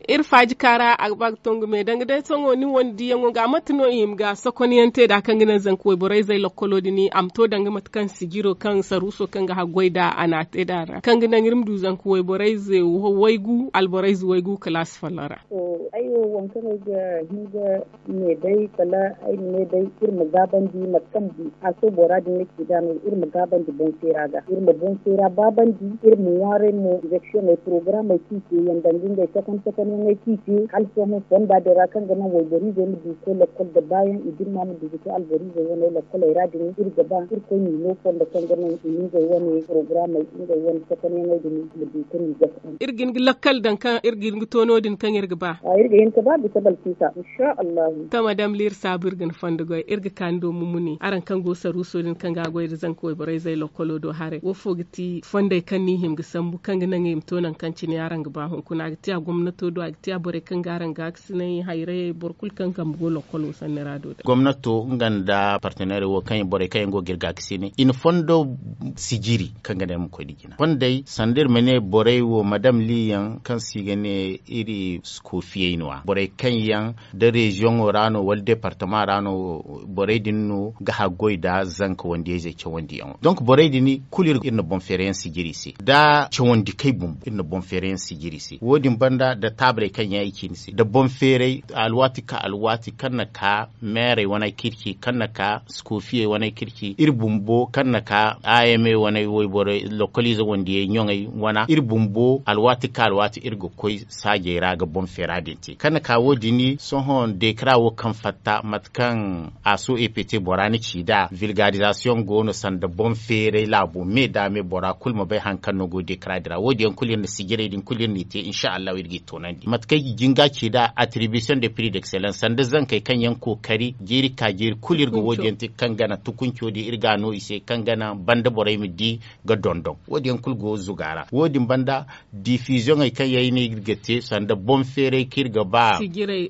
iri faaji ka ra a ga ba ga tongu me danga day sohõ ni wane diyaŋo ga mate no i hima ga sokonyaŋ te nd'a kaŋ ga naŋ zanka wayborey zey lokkolo din a ma to danga mate kaŋ sijiro kaŋ saruuso kaŋ ga haggoy nd'a a n'a te nd'a ra kaŋ ga naŋ iri ma du zanka wayborey ze waygu alborey ze waygu kalaasi folloŋ ra. Ay wo waŋ kaŋ ay ga hin ga ne day kala ay ma ne day iri ma gaabandi mate kaŋ a to bora din ga ci nd'a no iri ma gaabandi boŋ feera ga iri ma boŋ feera baabandi iri ma ŋwaaray mo direksiyoŋey porogaramey kaŋ i te yaŋ danga ngey takan takanyaŋey kaŋ i te hala sohõ fonda din ra kaŋ ga naŋ wayboriizey ma du ga koy lakkol nda baayaŋ i dimma ma du ga te alboriizey wane lakkoley ra din iri ga ba irkoy m'i no fondo kaŋ ga naŋ i ma ngey wane porogaramey ngey wane takanyaŋey din ma du ga ni gasa. Iri ga hin ga lakkal daŋ kaŋ iri ga hin ga to no- din kaŋ iri ga ba. Iri ga hin ga ba bisa balkisa. Insha allahu. To madam liri saabu iri ga ni fondo goy iri ga ka ni do mumuni araŋ kaŋ go saruuso din kaŋ ga a goy nda zanka wayborey zey lokkolo do haray wo fo ga ti fondey kaŋ no i hima ga sambu kaŋ ga naŋ i ma to nangu kaŋ cine araŋ ga ba hunkuna a ga ti a gomnato do a ga ti a borey kaŋ ga araŋ gaakasinay hayrayey boro kulu kaŋ kambe go lokkolo sanni ra do day. Gomnato nga nda parteneerey wo kaŋ borey kaŋ yaŋ go ga iri gaakasinay i na fondo sijiri kaŋ ga naŋ iri ma koy nda jina fondey sanda iri ma ne borey wo madam li yaŋ kaŋ se i ga ne iri koofiyey no- ya borey kaŋ yaŋ da reziyoŋo ra no wala departama ra no borey din no ga haggoy nda zanka wandiyayzey cawandiyaŋo donk borey din kulu iri na boŋ feerayaŋ sijiri i se nda cawandikey bumbo iri na boŋ feerayaŋ sijiri i se wo- din banda nda taabaley kaŋ yaŋ ay ci ni se nda boŋ feeray alwaati ka alwaati kaŋ na ka meerey wane kirci kaŋ na ka sikofiyey wane kirci iri bumbo kaŋ na ka a m a wane wayborey lokkoliize wandiyey ɲoŋey wane iri bumbo alwaati ka alwaati iri ga koy saajey ra ga boŋ feera din te kaŋ na ka wo- din sohõ dekara wo kaŋ fatta mate kaŋ a so e p t bora na ci nd'a vilgarizasiyoŋ go no sanda boŋ feeray laabo me da me bora kulu ma bay hari kaŋ no go dekara din ra wo- din yaŋ kulu iri na sijirey din kulu iri n'i te insa allahu iri g'i toonandi mate kaŋ i ga jinga ci nd'a atribition de prix d'excellence sanda zankey kaŋ yaŋ kookari jiiri ka jiiri kulu iri ga wo- din yaŋ te kaŋ gana tukunco din iri ga a no i se kaŋ gana banda borey ma di ga dondon wo- din yaŋ kulu go zuga ra wo- din banda difiziyoŋey kaŋ yaŋ ay ne iri ga te sanda boŋ feeray kaŋ iri ga ba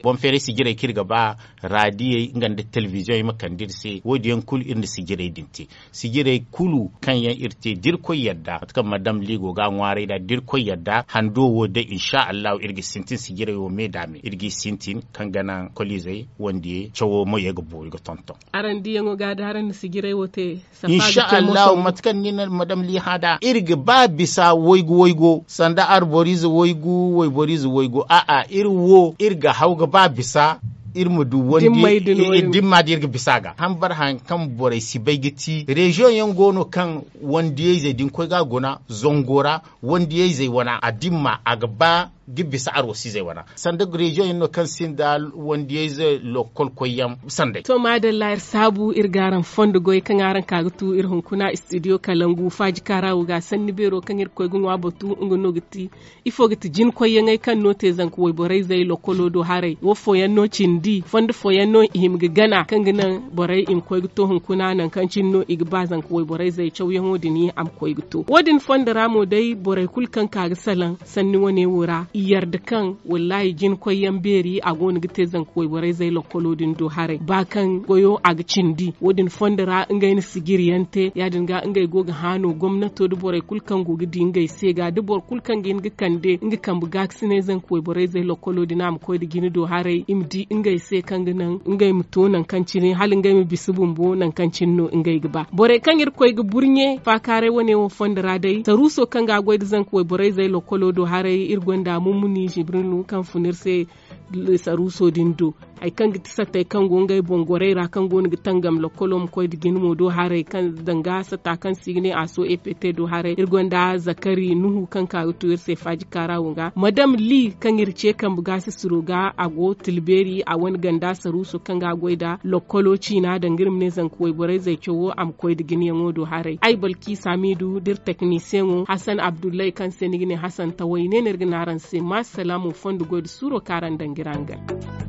boŋ feeray sijirey kaŋ iri ga ba radiyey nga nda telebiziyoŋey ma kande iri se wo- din yaŋ kulu iri na sijirey din te sijirey kulu kaŋ yaŋ iri te da irkoy yadda mate kaŋ madam ligo ga a ŋwaaray nd'a da irkoy yadda hando wo day insa allahu iri ga sintin sijirey wo me da me iri g'i sintin kaŋ ga naŋ koliizey wandiyey cawo mo ye ga boori ga tonton. Araŋ diyaŋo ga da araŋ na sijirey wo te insa allahu mate kaŋ ni na madam li hã nd'a iri ga ba bisa waygu waygu sanda arboriize waygu wayboriize waygu a'a iri wo iri ga haw ga ba bisa iri ma du wandi dimma da iri ga bisa ga hambar haŋ kaŋ borey si bay ga ti reziyoŋ yaŋ go no kaŋ wandiyayzey da ni koy ga a guna zango ra wandiyayzey wana a dimma a ga ba Ga bisa arwasiizey wana sanda reziyoŋ yaŋ no kaŋ sinda wandiyayze lokol koyyaŋ sanday. To maadalla iri saabu iri ga araŋ fondo goy kaŋ araŋ ka ga tu iri hunkuna istidiyo kalangu faaji kaara wo ga sanni beero kaŋ iri ga koy ga ŋwa batu nga no ga ti ifo ga ti jina koyyaŋey kaŋ no te zanka wayborayzey lokolo do haray wo fooyaŋ no cindi fondo fooyaŋ no i hima ga gana kaŋ ga naŋ borey i ma koy ga to hunkuna nangu kaŋ cine no i ga ba zanka wayborayzey cawyaŋo din a ma koy ga to wo- din fondo ra mo day borey kulu kaŋ ka ga salaŋ sanni wane wo ra i yarda kaŋ wallaahi jina koyyaŋ beeri a go no ga te zanka wayborayzey lokkolo din do haray ba kaŋ goyo a ga cindi wo- din fondo ra ngey na sijiri yaŋ te ya- din ga ngey go ga haanu gomnato nda borey kulu kaŋ go ga di ngey se ga da boro kulu kaŋ ga hin ga kande nga kambe gaakasinay zanka wayborayzey lokkolo din a ma koy nda jina do haray i ma di ngey se kaŋ ga naŋ ngey ma to nangu kaŋ cine hala ngey ma bisa bumbo nangu kaŋ cine no ngey ga ba borey kaŋ iri koy ga burɲe faakaaray wane wo fondo ra day saruuso kaŋ ga a goy nda zanka wayborayzey lokkolo do haray iri gonda mummuni zibrilu kaŋ fun iri se saruuso din do hari kaŋ ga ti sattey kaŋ go ngey boŋ gorey ra kaŋ go no ga tangam lokkolo ma koy nda jina mo do haray kaŋ danga satta kaŋ se i ga ne a so ept do haray iri gonda zakari nuhu kaŋ ka ga to iri se faaji kaara wo ga madam li kaŋ iri ce kambe gaasisiro ga a go tilbeeri a wane ganda saruuso kaŋ ga a goy nda lokkolo ciina danga iri ma ne zanka wayborayzey cawo a ma koy nda jinayaŋo do haray ay balki samidu nda iri teknisiyeŋo hasan abdullahi kaŋ se ni ga ne hasan taway ne no iri ga ne araŋ se ma salaamu fondo goy nda suuro kaŋ araŋ danga iri hangan